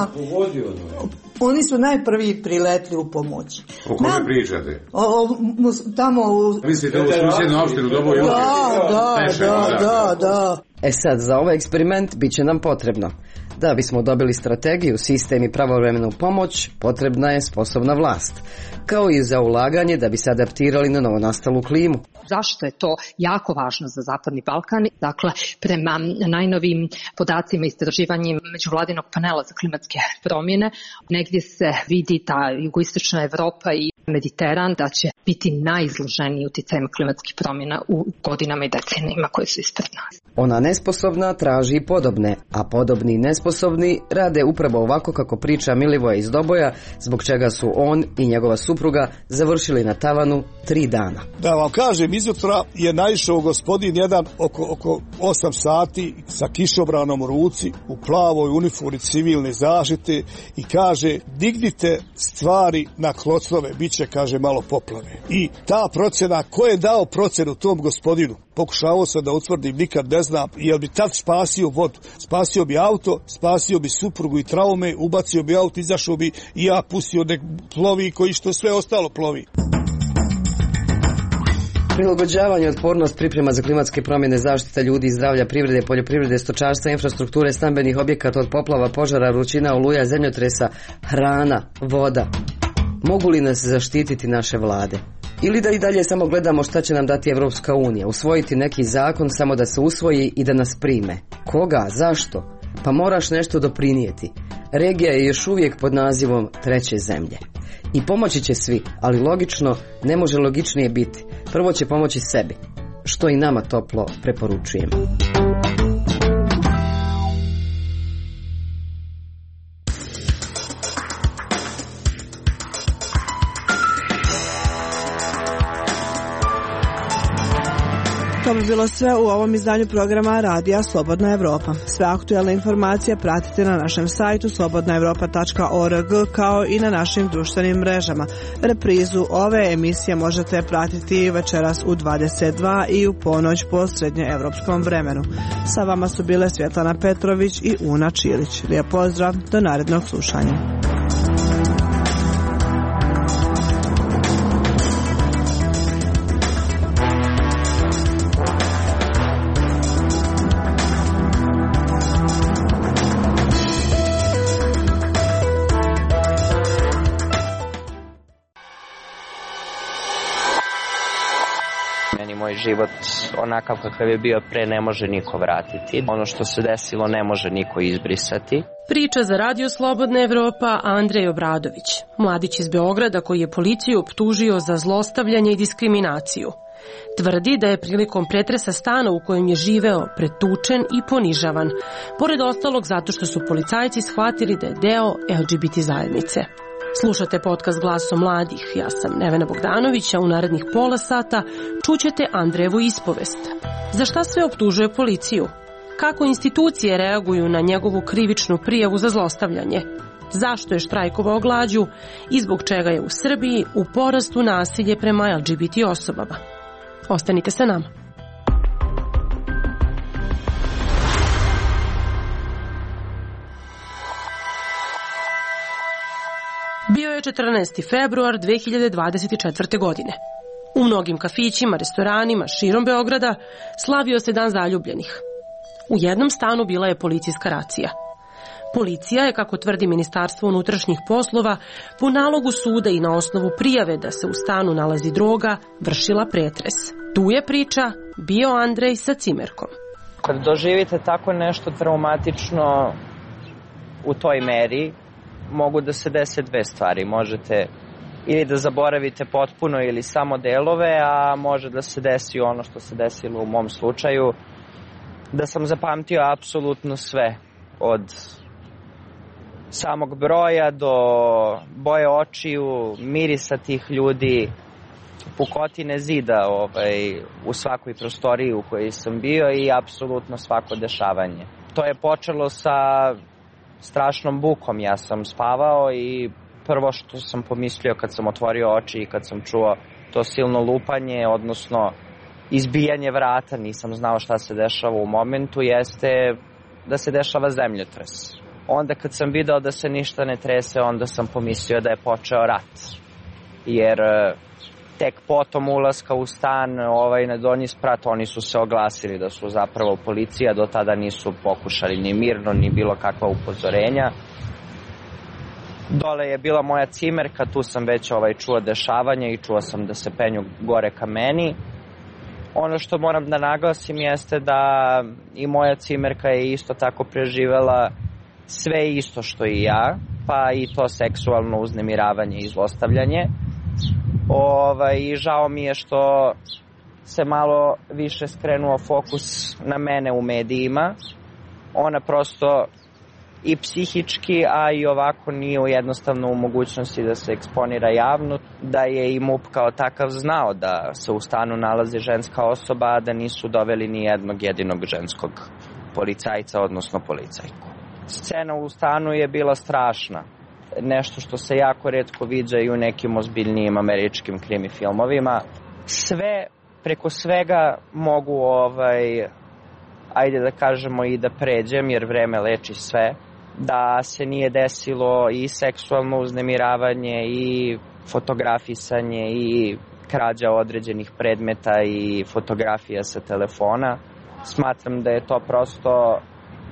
Oni su najprvi priletli u pomoć. O kome pričate? Tamo u... Mislite u susjednu opštinu Doboj? Da. Sad, za ovaj eksperiment bit će nam potrebno. Da bismo dobili strategiju, sistem i pravovremenu pomoć, potrebna je sposobna vlast. Kao i za ulaganje da bi se adaptirali na novonastalu klimu. Zašto je to jako važno za Zapadni Balkan? Dakle, prema najnovim podacima istraživanjem međuvladinog panela za klimatske promjene, negdje se vidi da jugoistočna Evropa i Mediteran da će biti najizloženiji utjecajem klimatskih promjena u godinama i decenijama koje su ispred nas. Ona nesposobna traži podobne, a podobni i nesposobni rade upravo ovako kako priča Milivoje iz Doboja, zbog čega su on i njegova supruga završili na tavanu 3 dana. Da vam kažem, izjutra je naišao gospodin jedan oko 8 sati sa kišobranom u ruci, u plavoj uniformi civilne zaštite i kaže: dignite stvari na klocove, bit će, kaže, malo poplave. I ta procjena, ko je dao procjenu tom gospodinu? Pokušavao sam da utvrdim, nikad ne znam, jel bi tad spasio vodu. Spasio bi auto, spasio bi suprugu i traume, ubacio bi auto, izašao bi i ja pustio nek plovi koji što sve ostalo plovi. Prilagođavanje, otpornost, priprema za klimatske promjene, zaštita ljudi i zdravlja, privrede, poljoprivrede, stočarstva, infrastrukture, stambenih objekata od poplava, požara, vrućina, oluja, zemljotresa, hrana, voda. Mogu li nas zaštititi naše vlade? Ili da i dalje samo gledamo šta će nam dati Evropska unija, usvojiti neki zakon samo da se usvoji i da nas prime? Koga? Zašto? Pa moraš nešto doprinijeti. Regija je još uvijek pod nazivom treće zemlje. I pomoći će svi, ali logično ne može logičnije biti. Prvo će pomoći sebi, što i nama toplo preporučujemo. To bi bilo sve u ovom izdanju programa Radija Slobodna Evropa. Sve aktuelne informacije pratite na našem sajtu slobodnaevropa.org kao i na našim društvenim mrežama. Reprizu ove emisije možete pratiti večeras u 22 i u ponoć po srednjeevropskom vremenu. Sa vama su bile Svjetlana Petrović i Una Čilić. Lijep pozdrav, do narednog slušanja. Moj život onakav kakav je bio pre ne može niko vratiti. Ono što se desilo ne može niko izbrisati. Priča za Radio Slobodna Evropa Andrej Obradović, mladić iz Beograda koji je policiju optužio za zlostavljanje i diskriminaciju. Tvrdi da je prilikom pretresa stana u kojem je živeo pretučen i ponižavan, pored ostalog zato što su policajci shvatili da je deo LGBT zajednice. Slušate podcast Glasom mladih. Ja sam Nevena Bogdanović, a u narednih pola sata čućete Andrejevu ispovest. Za šta sve optužuje policiju? Kako institucije reaguju na njegovu krivičnu prijavu za zlostavljanje? Zašto je štrajkovao glađu i zbog čega je u Srbiji u porastu nasilje prema LGBT osobama? Ostanite sa nama. Bio je 14. februar 2024. godine. U mnogim kafićima, restoranima širom Beograda slavio se Dan zaljubljenih. U jednom stanu bila je policijska racija. Policija je, kako tvrdi Ministarstvo unutrašnjih poslova, po nalogu suda i na osnovu prijave da se u stanu nalazi droga, vršila pretres. Tu je priča bio Andrej sa cimerkom. Kad doživite tako nešto traumatično u toj meri, mogu da se dese dve stvari. Možete ili da zaboravite potpuno ili samo delove, a može da se desi ono što se desilo u mom slučaju, da sam zapamtio apsolutno sve, od samog broja do boje očiju, mirisa tih ljudi, pukotine zida u svakoj prostoriji u kojoj sam bio i apsolutno svako dešavanje. To je počelo sa strašnom bukom. Ja sam spavao i prvo što sam pomislio kad sam otvorio oči i kad sam čuo to silno lupanje, odnosno izbijanje vrata, nisam znao šta se dešava u momentu, jeste da se dešava zemljotres. Onda kad sam video da se ništa ne trese, onda sam pomislio da je počeo rat. Jer tek potom ulaska u stan na donji sprat, oni su se oglasili da su zapravo policija, do tada nisu pokušali ni mirno, ni bilo kakva upozorenja. Dole je bila moja cimerka, tu sam već čuo dešavanje i čuo sam da se penju gore ka meni. Ono što moram da naglasim jeste da i moja cimerka je isto tako preživela sve isto što i ja, pa i to seksualno uznemiravanje i zlostavljanje. I žao mi je što se malo više skrenuo fokus na mene u medijima. Ona prosto i psihički, a i ovako nije jednostavno u mogućnosti da se eksponira javno, da je i MUP kao takav znao da se u stanu nalazi ženska osoba, a da nisu doveli ni jednog jedinog ženskog policajca, odnosno policajku. Scena u stanu je bila strašna. Nešto što se jako retko viđa i u nekim ozbiljnijim američkim krimi filmovima. Sve, preko svega mogu ajde da kažemo i da pređem, jer vreme leči sve, da se nije desilo i seksualno uznemiravanje i fotografisanje i krađa određenih predmeta i fotografija sa telefona. Smatram da je to prosto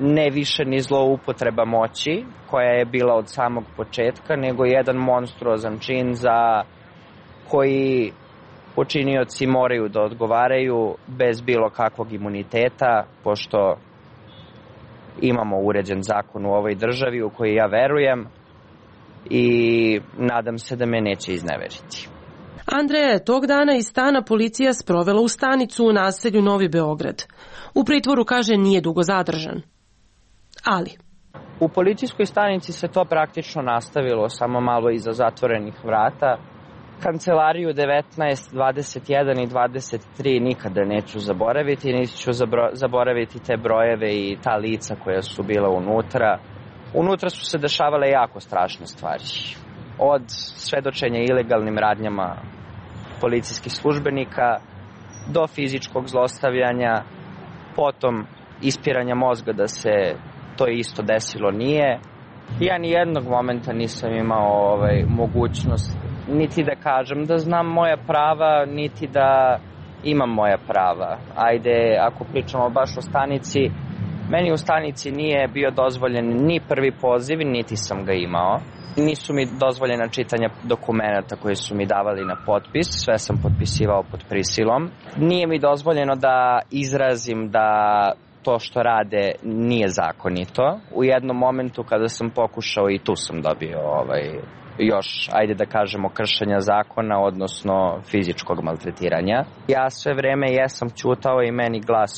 ne više ni zloupotreba moći, koja je bila od samog početka, nego jedan monstruozan čin za koji počinioci moraju da odgovaraju bez bilo kakvog imuniteta, pošto imamo uređen zakon u ovoj državi u koji ja verujem i nadam se da me neće izneveriti. Andreja je tog dana iz stana policija sprovela u stanicu u naselju Novi Beograd. U pritvoru, kaže, nije dugo zadržan. Ali u policijskoj stanici se to praktično nastavilo, samo malo iza zatvorenih vrata. Kancelariju 19, 21 i 23 nikada neću zaboraviti, niti ću zaboraviti te brojeve i ta lica koja su bila unutra. Unutra su se dešavale jako strašne stvari. Od svedočenja ilegalnim radnjama policijskih službenika do fizičkog zlostavljanja, potom ispiranja mozga da se to isto desilo nije. Ja ni jednog momenta nisam imao mogućnost niti da kažem da znam moja prava, niti da imam moja prava. Ajde, ako pričamo baš o stanici, meni u stanici nije bio dozvoljen ni prvi poziv, niti sam ga imao. Nisu mi dozvoljena čitanja dokumenata koje su mi davali na potpis, sve sam potpisivao pod prisilom. Nije mi dozvoljeno da izrazim da to što rade nije zakonito. U jednom momentu kada sam pokušao i tu sam dobio još, ajde da kažemo, kršenja zakona, odnosno fizičkog maltretiranja. Ja sve vreme jesam ćutao i meni glas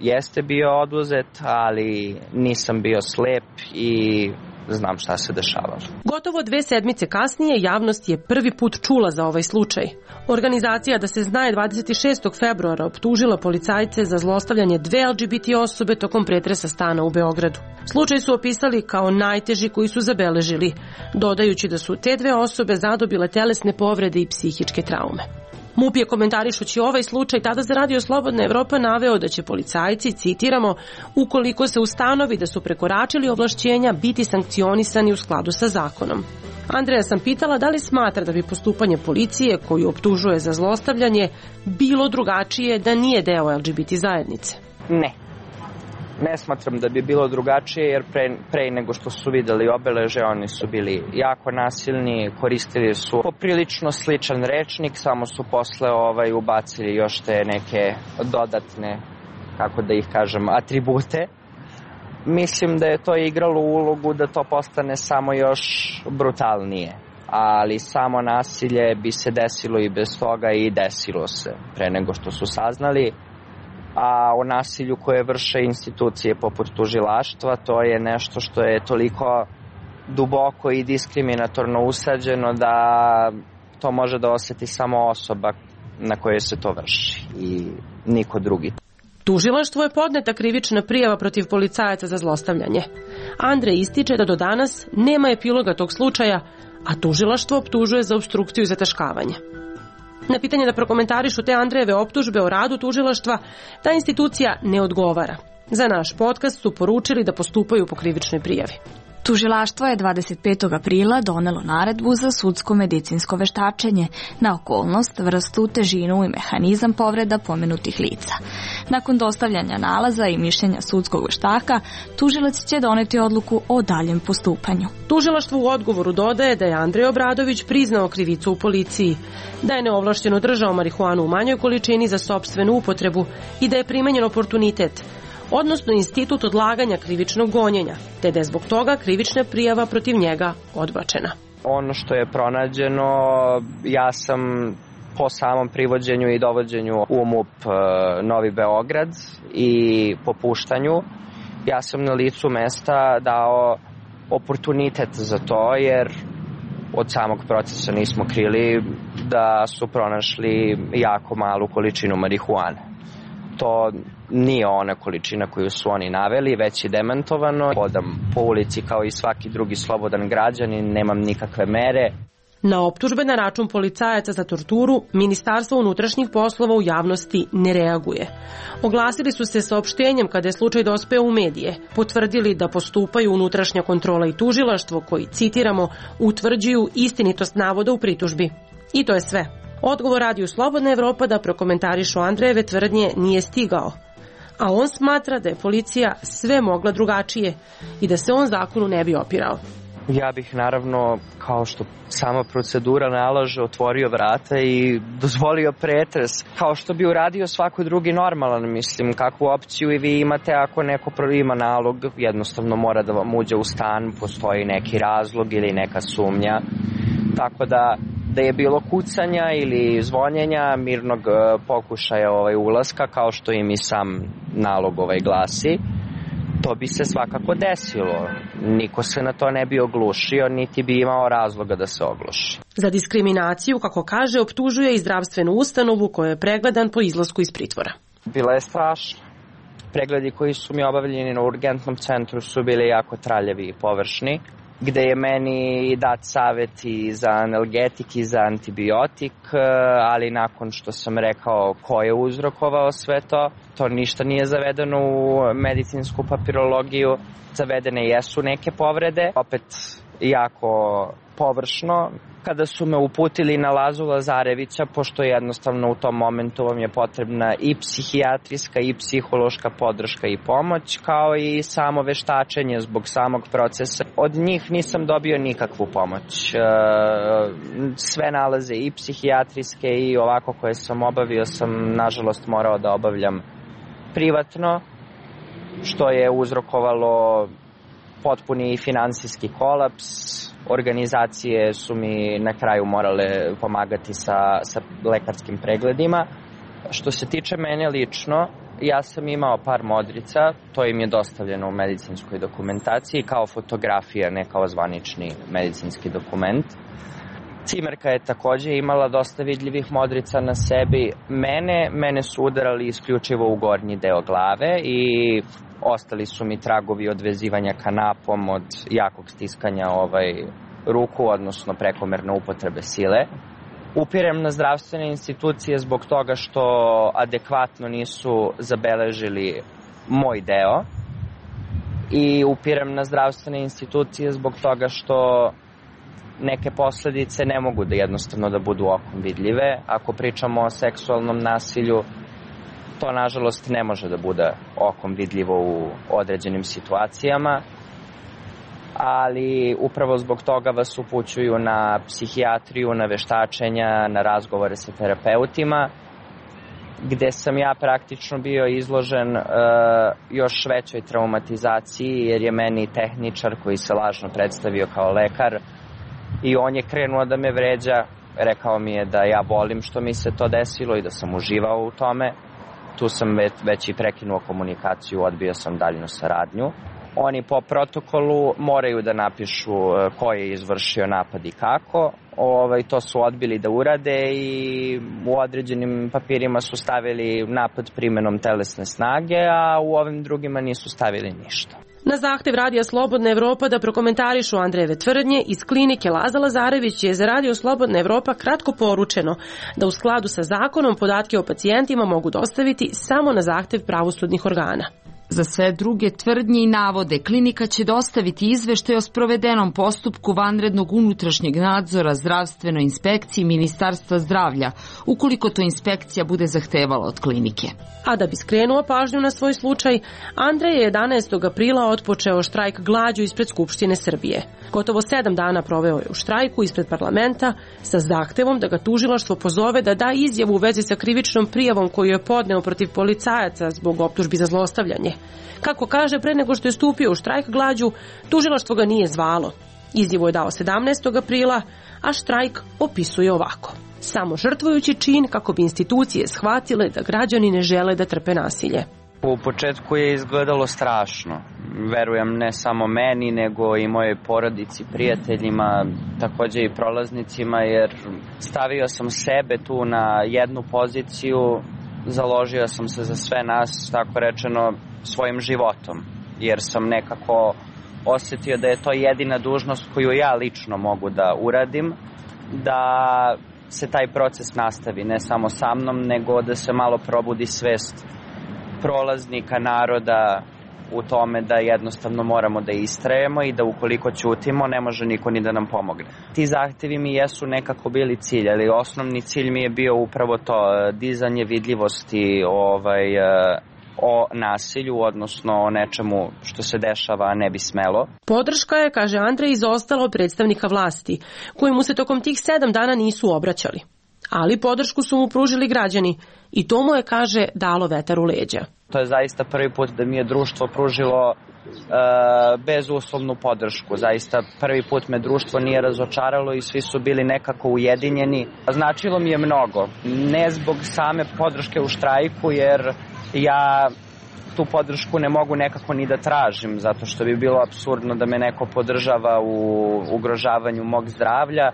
jeste bio oduzet, ali nisam bio slep i znam šta se dešavalo. Gotovo 2 sedmice kasnije javnost je prvi put čula za ovaj slučaj. Organizacija Da se zna je 26. februara optužila policajce za zlostavljanje 2 LGBT osobe tokom pretresa stana u Beogradu. Slučaj su opisali kao najteži koji su zabeležili, dodajući da su te 2 osobe zadobile telesne povrede i psihičke traume. MUP je komentarišući ovaj slučaj tada za Radio Slobodna Evropa naveo da će policajci, citiramo, ukoliko se ustanovi da su prekoračili ovlašćenja, biti sankcionisani u skladu sa zakonom. Andreja sam pitala da li smatra da bi postupanje policije, koju optužuje za zlostavljanje, bilo drugačije da nije deo LGBT zajednice. Ne. Ne smatram da bi bilo drugačije, jer pre nego što su videli obeleže, oni su bili jako nasilni, koristili su poprilično sličan rečnik, samo su posle ubacili još te neke dodatne, kako da ih kažem, atribute. Mislim da je to igralo ulogu da to postane samo još brutalnije, ali samo nasilje bi se desilo i bez toga i desilo se pre nego što su saznali. A o nasilju koje vrše institucije poput tužilaštva, to je nešto što je toliko duboko i diskriminatorno usađeno da to može da osjeti samo osoba na kojoj se to vrši i niko drugi. Tužilaštvu je podneta krivična prijava protiv policajaca za zlostavljanje. Andrej ističe da do danas nema epiloga tog slučaja, a tužilaštvo optužuje za opstrukciju i zataškavanje. Na pitanje da prokomentarišu te Andrejeve optužbe o radu tužilaštva, ta institucija ne odgovara. Za naš podcast su poručili da postupaju po krivičnoj prijavi. Tužilaštvo je 25. aprila donelo naredbu za sudsko-medicinsko veštačenje na okolnost, vrstu, težinu i mehanizam povreda pomenutih lica. Nakon dostavljanja nalaza i mišljenja sudskog veštaka, tužilac će doneti odluku o daljem postupanju. Tužilaštvo u odgovoru dodaje da je Andrej Obradović priznao krivicu u policiji, da je neovlašćeno držao marihuanu u manjoj količini za sopstvenu upotrebu i da je primenjen oportunitet, odnosno institut odlaganja krivičnog gonjenja, te da je zbog toga krivična prijava protiv njega odbačena. Ono što je pronađeno, ja sam po samom privođenju i dovođenju u MUP Novi Beograd i po puštanju, ja sam na licu mesta dao oportunitet za to, jer od samog procesa nismo krili da su pronašli jako malu količinu marihuane. To nije ona količina koju su oni naveli, već je demantovano. Hodam po ulici kao i svaki drugi slobodan građanin, nemam nikakve mere. Na optužbe na račun policajaca za torturu, Ministarstvo unutrašnjih poslova u javnosti ne reaguje. Oglasili su se saopštenjem kada je slučaj dospeo u medije, potvrdili da postupaju unutrašnja kontrola i tužilaštvo koji, citiramo, utvrđuju istinitost navoda u pritužbi. I to je sve. Odgovor Radio Slobodna Evropa da prokomentarišu Andrejeve tvrdnje nije stigao, a on smatra da je policija sve mogla drugačije i da se on zakonu ne bi opirao. Ja bih naravno, kao što sama procedura nalaže, otvorio vrata i dozvolio pretres, kao što bi uradio svako drugi normalan, mislim, kakvu opciju i vi imate ako neko ima nalog, jednostavno mora da vam uđe u stan, postoji neki razlog ili neka sumnja, tako da je bilo kucanja ili zvonjenja, mirnog pokušaja ulaska, kao što im i sam nalog glasi. to bi se svakako desilo. Niko se na to ne bi oglušio, niti bi imao razloga da se ogluši. Za diskriminaciju, kako kaže, optužuje i zdravstvenu ustanovu koja je pregledan po izlasku iz pritvora. Bila je strašna. Pregledi koji su mi obavljeni na urgentnom centru su bili jako traljevi i površni, gde je meni dat savjet i za analgetik i za antibiotik, ali nakon što sam rekao ko je uzrokovao sve to, to ništa nije zavedeno u medicinsku papirologiju. Zavedene jesu neke povrede, opet jako površno. Kada su me uputili na Lazu Lazarevića, pošto jednostavno u tom momentu vam je potrebna i psihijatrijska i psihološka podrška i pomoć, kao i samo veštačenje zbog samog procesa. Od njih nisam dobio nikakvu pomoć. Sve nalaze i psihijatrijske i ovako koje sam obavio sam nažalost morao da obavljam privatno, što je uzrokovalo potpuni finansijski kolaps. Organizacije su mi na kraju morale pomagati sa lekarskim pregledima. Što se tiče mene lično, ja sam imao par modrica, to im je dostavljeno u medicinskoj dokumentaciji kao fotografija, ne kao zvanični medicinski dokument. Cimerka je takođe imala dosta vidljivih modrica na sebi. Mene su udarali isključivo u gornji deo glave i ostali su mi tragovi od vezivanja kanapom, od jakog stiskanja ruku, odnosno prekomerne upotrebe sile. Upirem na zdravstvene institucije zbog toga što adekvatno nisu zabeležili moj deo i upirem na zdravstvene institucije zbog toga što neke posledice ne mogu da jednostavno da budu okom vidljive. Ako pričamo o seksualnom nasilju, to nažalost ne može da bude okom vidljivo u određenim situacijama, ali upravo zbog toga vas upućuju na psihijatriju, na veštačenja, na razgovore sa terapeutima, gde sam ja praktično bio izložen još većoj traumatizaciji, jer je meni tehničar koji se lažno predstavio kao lekar i on je krenuo da me vređa, rekao mi je da ja volim što mi se to desilo i da sam uživao u tome. Tu sam već i prekinuo komunikaciju, odbio sam daljnu saradnju. Oni po protokolu moraju da napišu ko je izvršio napad i kako. To su odbili da urade i u određenim papirima su stavili napad primenom telesne snage, a u ovim drugima nisu stavili ništa. Na zahtev Radija Slobodna Evropa da prokomentarišu Andrejeve tvrdnje, iz klinike Laza Lazarević je za Radio Slobodna Evropa kratko poručeno da u skladu sa zakonom podatke o pacijentima mogu dostaviti samo na zahtev pravosudnih organa. Za sve druge tvrdnje i navode, klinika će dostaviti izveštaj o sprovedenom postupku vanrednog unutrašnjeg nadzora zdravstvenoj inspekciji Ministarstva zdravlja, ukoliko to inspekcija bude zahtevala od klinike. A da bi skrenuo pažnju na svoj slučaj, Andrej je 11. aprila otpočeo štrajk glađu ispred Skupštine Srbije. Gotovo 7 dana proveo je u štrajku ispred parlamenta sa zahtevom da ga tužilaštvo pozove da da izjavu u vezi sa krivičnom prijavom koju je podneo protiv policajaca zbog optužbi za zlostavljanje. Kako kaže, pre nego što je stupio u štrajk glađu, tužilaštvo ga nije zvalo. Izjavu je dao 17. aprila, a štrajk opisuje ovako: samo žrtvujući čin kako bi institucije shvatile da građani ne žele da trpe nasilje. U početku je izgledalo strašno. Verujem ne samo meni, nego i mojoj porodici, prijateljima, takođe i prolaznicima, jer stavio sam sebe tu na jednu poziciju, založio sam se za sve nas, tako rečeno, svojim životom, jer sam nekako osetio da je to jedina dužnost koju ja lično mogu da uradim, da se taj proces nastavi, ne samo sa mnom, nego da se malo probudi svest prolaznika, naroda u tome da jednostavno moramo da istrajemo i da ukoliko ćutimo ne može niko ni da nam pomogne. Ti zahtevi mi jesu nekako bili cilj, ali osnovni cilj mi je bio upravo to, dizanje vidljivosti o nasilju, odnosno o nečemu što se dešava, a ne bi smelo. Podrška je, kaže Andrej, izostala od predstavnika vlasti, koji mu se tokom tih 7 dana nisu obraćali. Ali podršku su mu pružili građani i to mu je, kaže, dalo vetar u leđa. To je zaista prvi put da mi je društvo pružilo bezuslovnu podršku. Zaista prvi put me društvo nije razočaralo i svi su bili nekako ujedinjeni. Značilo mi je mnogo. Ne zbog same podrške u štrajku, jer ja tu podršku ne mogu nekako ni da tražim, zato što bi bilo apsurdno da me neko podržava u ugrožavanju mog zdravlja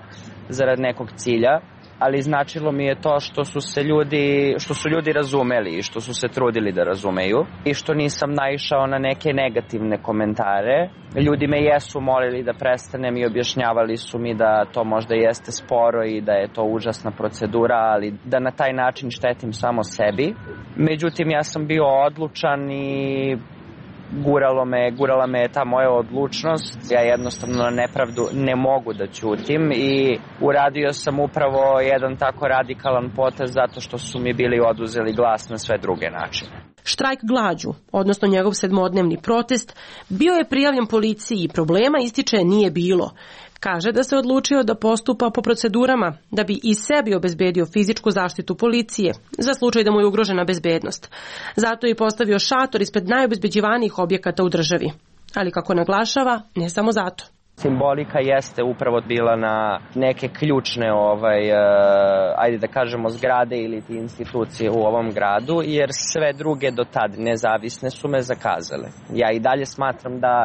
zarad nekog cilja, ali značilo mi je to što su ljudi razumeli i što su se trudili da razumeju i što nisam naišao na neke negativne komentare. Ljudi me jesu molili da prestanem i objašnjavali su mi da to možda jeste sporo i da je to užasna procedura, ali da na taj način štetim samo sebi. Međutim, ja sam bio odlučan i gurala me ta moja odlučnost. Ja jednostavno na nepravdu ne mogu da ćutim i uradio sam upravo jedan tako radikalan potez zato što su mi bili oduzeli glas na sve druge načine. Štrajk glađu, odnosno njegov 7-dnevni protest, bio je prijavljen policiji i problema, ističe, nije bilo. Kaže da se odlučio da postupa po procedurama da bi i sebi obezbedio fizičku zaštitu policije za slučaj da mu je ugrožena bezbednost. Zato je postavio šator ispred najobezbeđivanijih objekata u državi. Ali kako naglašava, ne samo zato. Simbolika jeste upravo bila na neke ključne ajde da kažemo zgrade ili institucije u ovom gradu, jer sve druge do tad nezavisne su me zakazale. Ja i dalje smatram da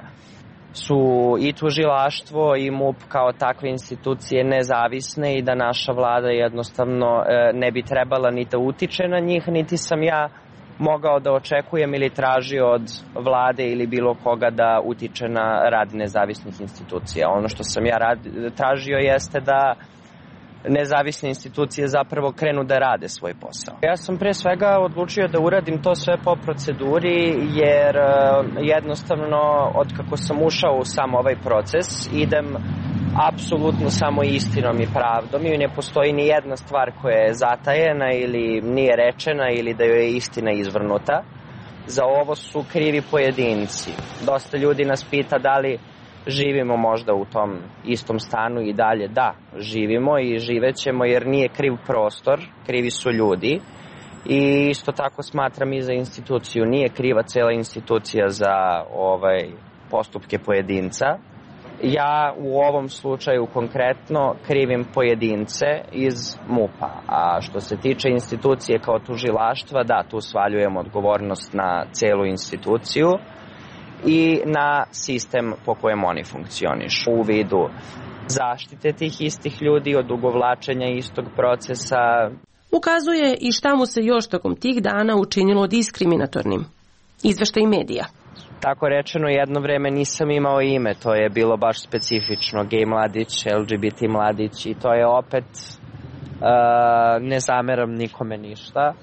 su i tužilaštvo i MUP kao takve institucije nezavisne i da naša vlada jednostavno ne bi trebala ni da utiče na njih, niti sam ja mogao da očekujem ili tražio od vlade ili bilo koga da utiče na rad nezavisnih institucija. Ono što sam ja tražio jeste da nezavisne institucije zapravo krenu da rade svoj posao. Ja sam pre svega odlučio da uradim to sve po proceduri, jer jednostavno od kako sam ušao u sam ovaj proces idem apsolutno samo istinom i pravdom i ne postoji ni jedna stvar koja je zatajena ili nije rečena ili da joj je istina izvrnuta. Za ovo su krivi pojedinci. Dosta ljudi nas pita da li živimo možda u tom istom stanu i dalje. Da, živimo i živećemo jer nije kriv prostor, krivi su ljudi. I isto tako smatram i za instituciju. Nije kriva cela institucija za postupke pojedinca. Ja u ovom slučaju konkretno krivim pojedince iz MUP-a, a što se tiče institucije kao tužilaštva, da, tu svaljujem odgovornost na celu instituciju i na sistem po kojem oni funkcionišu u vidu zaštite tih istih ljudi od odugovlačenja istog procesa. Ukazuje i šta mu se još tokom tih dana učinilo diskriminatornim. Izveštaj medija. Tako rečeno, jedno vreme nisam imao ime, to je bilo baš specifično, gej mladić, LGBT mladić i to je opet, ne zameram nikome ništa,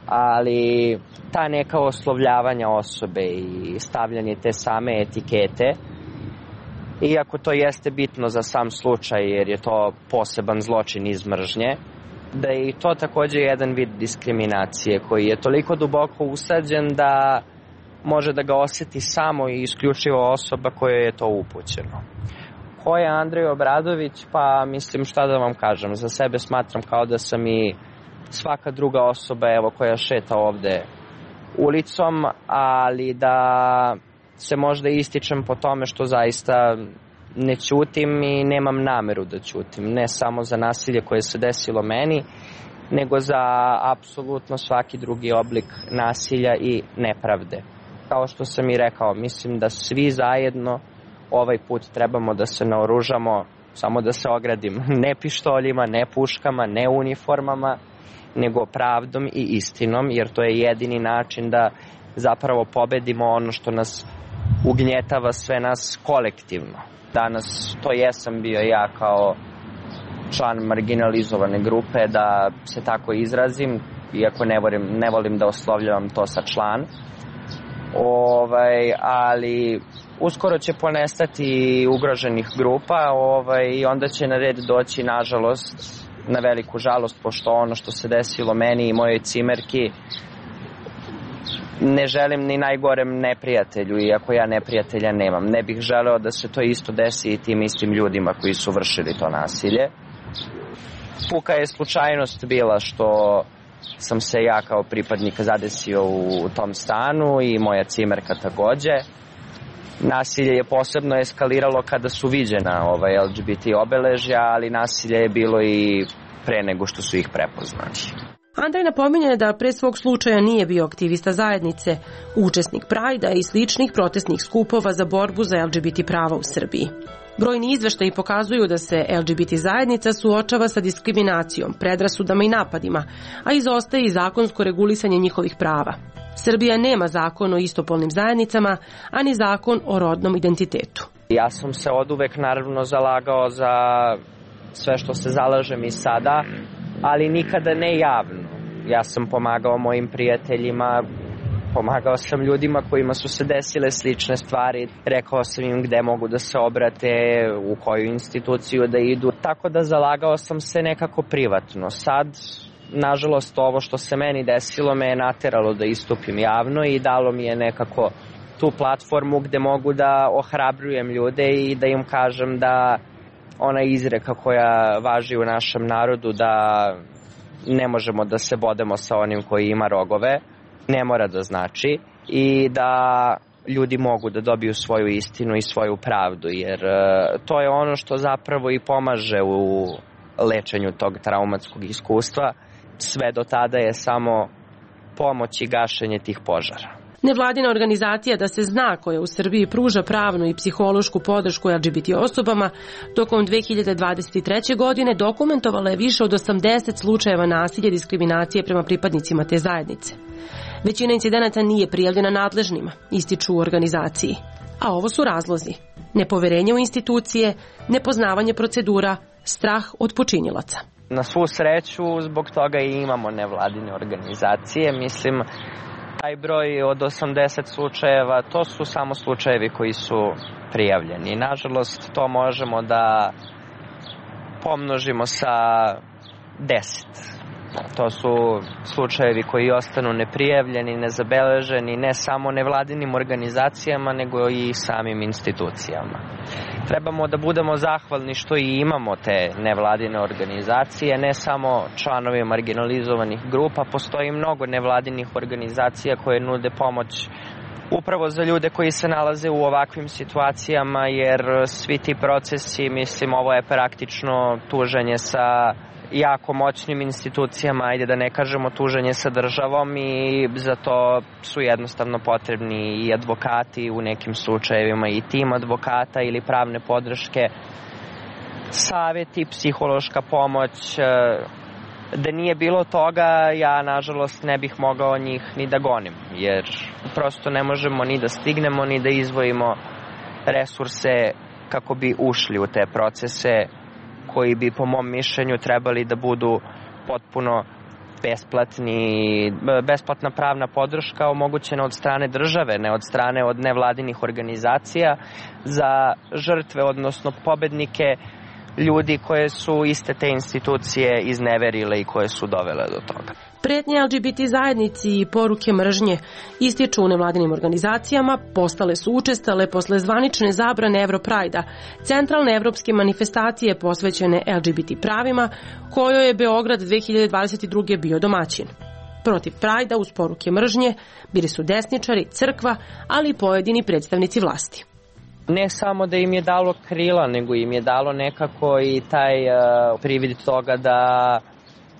ali ta neka oslovljavanja osobe i stavljanje te same etikete, iako to jeste bitno za sam slučaj jer je to poseban zločin iz mržnje, da je i to također jedan vid diskriminacije koji je toliko duboko usađen da može da ga osjeti samo i isključivo osoba kojoj je to upućeno. Ko je Andrej Obradović? Pa mislim šta da vam kažem, za sebe smatram kao da sam i svaka druga osoba koja šeta ovde ulicom, ali da se možda ističem po tome što zaista ne ćutim i nemam nameru da ćutim, ne samo za nasilje koje se desilo meni, nego za apsolutno svaki drugi oblik nasilja i nepravde. Kao što sam i rekao, mislim da svi zajedno ovaj put trebamo da se naoružamo, samo da se ogradim, ne pištoljima, ne puškama, ne uniformama, nego pravdom i istinom, jer to je jedini način da zapravo pobedimo ono što nas ugnjetava sve nas kolektivno. Danas to jesam bio ja kao član marginalizovane grupe, da se tako izrazim, iako ne volim da oslovljavam to sa član. Ali uskoro će ponestati ugroženih grupa i onda će na red doći, nažalost, na veliku žalost, pošto ono što se desilo meni i mojoj cimerki ne želim ni najgorem neprijatelju, iako ja neprijatelja nemam. Ne bih želeo da se to isto desi i tim istim ljudima koji su vršili to nasilje. Puka je slučajnost bila što sam se ja kao pripadnik zadesio u tom stanu i moja cimerka takođe. Nasilje je posebno eskaliralo kada su viđena LGBT obeležja, ali nasilje je bilo i pre nego što su ih prepoznali. Andrej napominje da pre svog slučaja nije bio aktivista zajednice, učesnik Prajda i sličnih protestnih skupova za borbu za LGBT prava u Srbiji. Brojni izveštaji pokazuju da se LGBT zajednica suočava sa diskriminacijom, predrasudama i napadima, a izostaje i zakonsko regulisanje njihovih prava. Srbija nema zakon o istopolnim zajednicama, ani zakon o rodnom identitetu. Ja sam se oduvek naravno zalagao za sve što se zalažem i sada, ali nikada ne javno. Ja sam pomagao mojim prijateljima, pomagao sam ljudima kojima su se desile slične stvari, rekao sam im gde mogu da se obrate, u koju instituciju da idu, tako da zalagao sam se nekako privatno. Sad, nažalost, ovo što se meni desilo me je nateralo da istupim javno i dalo mi je nekako tu platformu gde mogu da ohrabrujem ljude i da im kažem da ona izreka koja važi u našem narodu da ne možemo da se bodemo sa onim koji ima rogove, ne mora da znači, i da ljudi mogu da dobiju svoju istinu i svoju pravdu, jer to je ono što zapravo i pomaže u lečenju tog traumatskog iskustva. Sve do tada je samo pomoć i gašenje tih požara. Nevladina organizacija Da se zna, koja u Srbiji pruža pravnu i psihološku podršku LGBT osobama, tokom 2023. godine dokumentovala je više od 80 slučajeva nasilja i diskriminacije prema pripadnicima te zajednice. Većina incidenata nije prijavljena nadležnima, ističu u organizaciji. A ovo su razlozi: nepoverenje u institucije, nepoznavanje procedura, strah od počinilaca. Na svu sreću, zbog toga i imamo nevladine organizacije. Mislim, taj broj od 80 slučajeva, to su samo slučajevi koji su prijavljeni. Nažalost, to možemo da pomnožimo sa 10. To su slučajevi koji ostanu neprijavljeni, nezabeleženi, ne samo nevladinim organizacijama, nego i samim institucijama. Trebamo da budemo zahvalni što i imamo te nevladine organizacije, ne samo članovi marginalizovanih grupa. Postoji mnogo nevladinih organizacija koje nude pomoć upravo za ljude koji se nalaze u ovakvim situacijama, jer svi ti procesi, mislim, ovo je praktično tuženje sa jako moćnim institucijama, ajde da ne kažemo tuženje sa državom, i za to su jednostavno potrebni i advokati u nekim slučajevima, i tim advokata ili pravne podrške, savjeti, psihološka pomoć. Da nije bilo toga, ja nažalost ne bih mogao njih ni da gonim, jer prosto ne možemo ni da stignemo, ni da izdvojimo resurse kako bi ušli u te procese koji bi, po mom mišljenju, trebali da budu potpuno besplatna pravna podrška omogućena od strane države, ne od strane od nevladinih organizacija, za žrtve, odnosno pobednike, ljudi koje su iste te institucije izneverile i koje su dovele do toga. Pretnje LGBT zajednici i poruke mržnje, ističu u nevladinim organizacijama, postale su učestale posle zvanične zabrane Europrajda, centralne evropske manifestacije posvećene LGBT pravima, kojoj je Beograd 2022. bio domaćin. Protiv Prajda uz poruke mržnje bili su desničari, crkva, ali i pojedini predstavnici vlasti. Ne samo da im je dalo krila, nego im je dalo nekako i taj privid toga da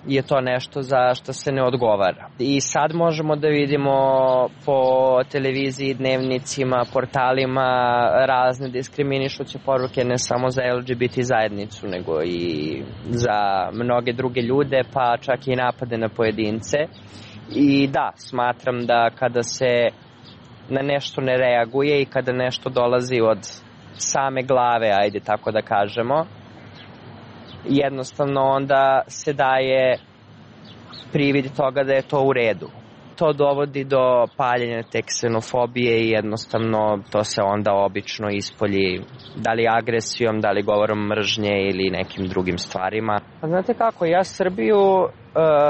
je to nešto za što se ne odgovara. I sad možemo da vidimo po televiziji, dnevnicima, portalima razne diskriminišuće poruke, ne samo za LGBT zajednicu, nego i za mnoge druge ljude, pa čak i napade na pojedince. I da, smatram da kada se na nešto ne reaguje i kada nešto dolazi od same glave, ajde tako da kažemo, jednostavno onda se daje privid toga da je to u redu. To dovodi do paljenja te ksenofobije i jednostavno to se onda obično ispolji, da li agresijom, da li govorom mržnje ili nekim drugim stvarima. Znate kako, ja Srbiju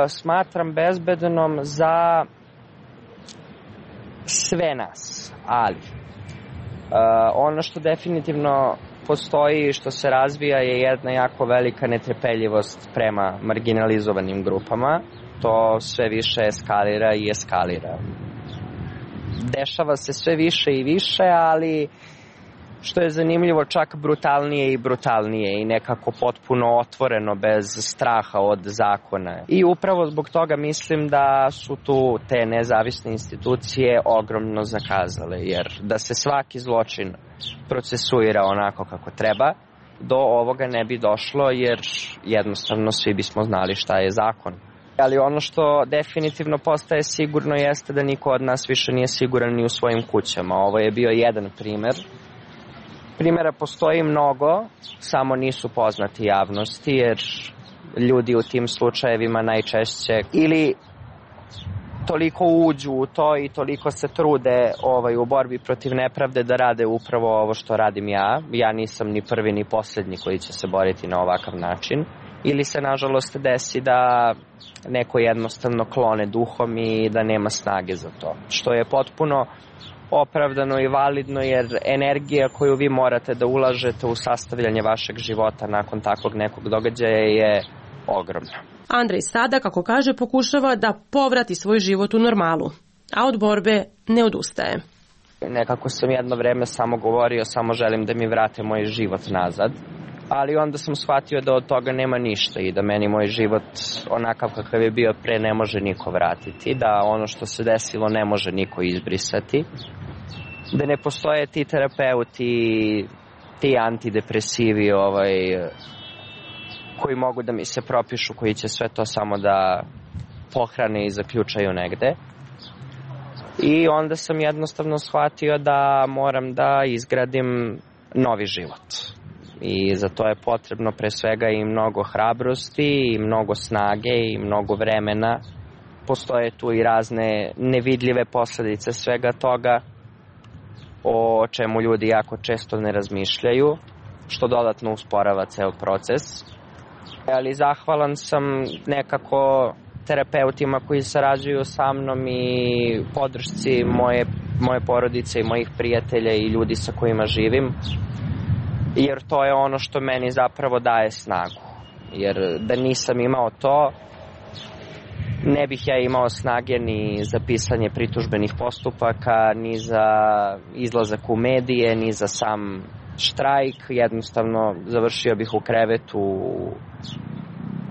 smatram bezbednom za sve nas, ali ono što definitivno postoji i što se razvija je jedna jako velika netrpeljivost prema marginalizovanim grupama. To sve više eskalira i eskalira. Dešava se sve više i više, ali što je zanimljivo, čak brutalnije i brutalnije i nekako potpuno otvoreno bez straha od zakona. I upravo zbog toga mislim da su tu te nezavisne institucije ogromno zakazale, jer da se svaki zločin procesuira onako kako treba, do ovoga ne bi došlo, jer jednostavno svi bismo znali šta je zakon. Ali ono što definitivno postaje sigurno jeste da niko od nas više nije siguran ni u svojim kućama. Ovo je bio jedan primer. Primjera postoji mnogo, samo nisu poznati javnosti, jer ljudi u tim slučajevima najčešće ili toliko uđu u to i toliko se trude u borbi protiv nepravde da rade upravo ovo što radim ja. Ja nisam ni prvi ni posljednji koji će se boriti na ovakav način. Ili se nažalost desi da neko jednostavno klone duhom i da nema snage za to. Što je potpuno opravdano i validno, jer energija koju vi morate da ulažete u sastavljanje vašeg života nakon takvog nekog događaja je ogromna. Andrej sada, kako kaže, pokušava da povrati svoj život u normalu, a od borbe ne odustaje. Nekako sam jedno vreme samo govorio, samo želim da mi vrate moj život nazad, ali onda sam shvatio da od toga nema ništa i da meni moj život onakav kakav je bio pre ne može niko vratiti, da ono što se desilo ne može niko izbrisati, da ne postoje ti terapeuti, ti antidepresivi koji mogu da mi se propišu, koji će sve to samo da pohrane i zaključaju negde. I onda sam jednostavno shvatio da moram da izgradim novi život. I za to je potrebno pre svega i mnogo hrabrosti, i mnogo snage, i mnogo vremena. Postoje tu i razne nevidljive posledice svega toga, o čemu ljudi jako često ne razmišljaju, što dodatno usporava ceo proces. Ali zahvalan sam nekako terapeutima koji sarađuju sa mnom i podršci moje porodice i mojih prijatelja i ljudi sa kojima živim, jer to je ono što meni zapravo daje snagu. Jer da nisam imao to, ne bih ja imao snage ni za pisanje pritužbenih postupaka, ni za izlazak u medije, ni za sam štrajk. Jednostavno završio bih u krevetu, u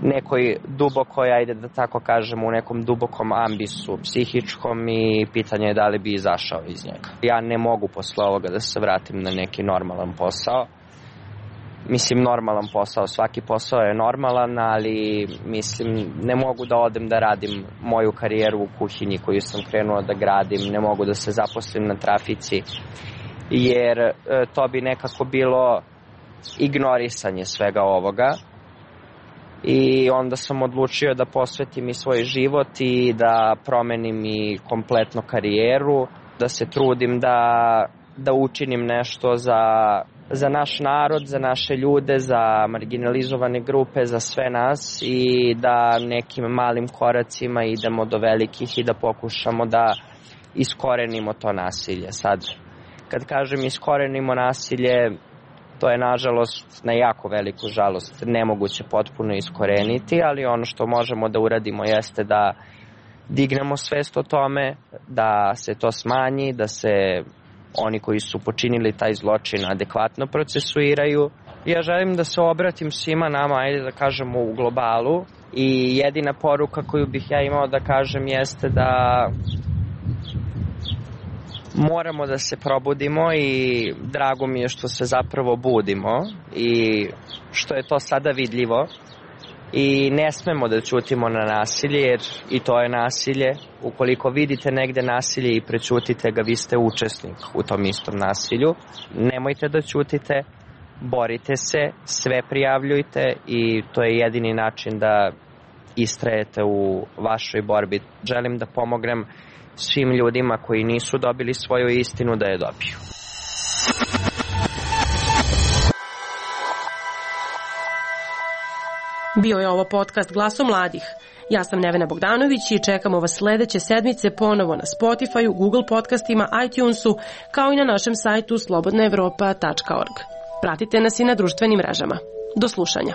nekoj dubokoj, ajde da tako kažem, u nekom dubokom ambisu psihičkom i pitanje je da li bi izašao iz njega. Ja ne mogu posle ovoga da se vratim na neki normalan posao. Mislim, normalan posao, svaki posao je normalan, ali mislim, ne mogu da odem da radim moju karijeru u kuhinji koju sam krenuo da gradim, ne mogu da se zaposlim na trafici, jer to bi nekako bilo ignorisanje svega ovoga. I onda sam odlučio da posvetim i svoj život i da promenim i kompletno karijeru, da se trudim da učinim nešto za naš narod, za naše ljude, za marginalizovane grupe, za sve nas i da nekim malim koracima idemo do velikih i da pokušamo da iskorenimo to nasilje. Sad, kad kažem iskorenimo nasilje, to je nažalost, na jako veliku žalost, nemoguće potpuno iskoreniti, ali ono što možemo da uradimo jeste da dignemo svest o tome, da se to smanji, da se oni koji su počinili taj zločin adekvatno procesuiraju. Ja želim da se obratim svima nama, ajde da kažemo u globalu, i jedina poruka koju bih ja imao da kažem jeste da moramo da se probudimo i drago mi je što se zapravo budimo i što je to sada vidljivo i ne smemo da ćutimo na nasilje, jer i to je nasilje. Ukoliko vidite negde nasilje i prećutite ga, vi ste učesnik u tom istom nasilju. Nemojte da ćutite, borite se, sve prijavljujte i to je jedini način da istrajete u vašoj borbi. Želim da pomognem svim ljudima koji nisu dobili svoju istinu da je dobiju. Bio je ovo podcast Glaso mladih. Ja sam Nevena Bogdanović i čekamo vas sledeće sedmice ponovo na Spotify, Google podcastima, iTunesu, kao i na našem sajtu slobodnaevropa.org. Pratite nas i na društvenim mrežama. Do slušanja.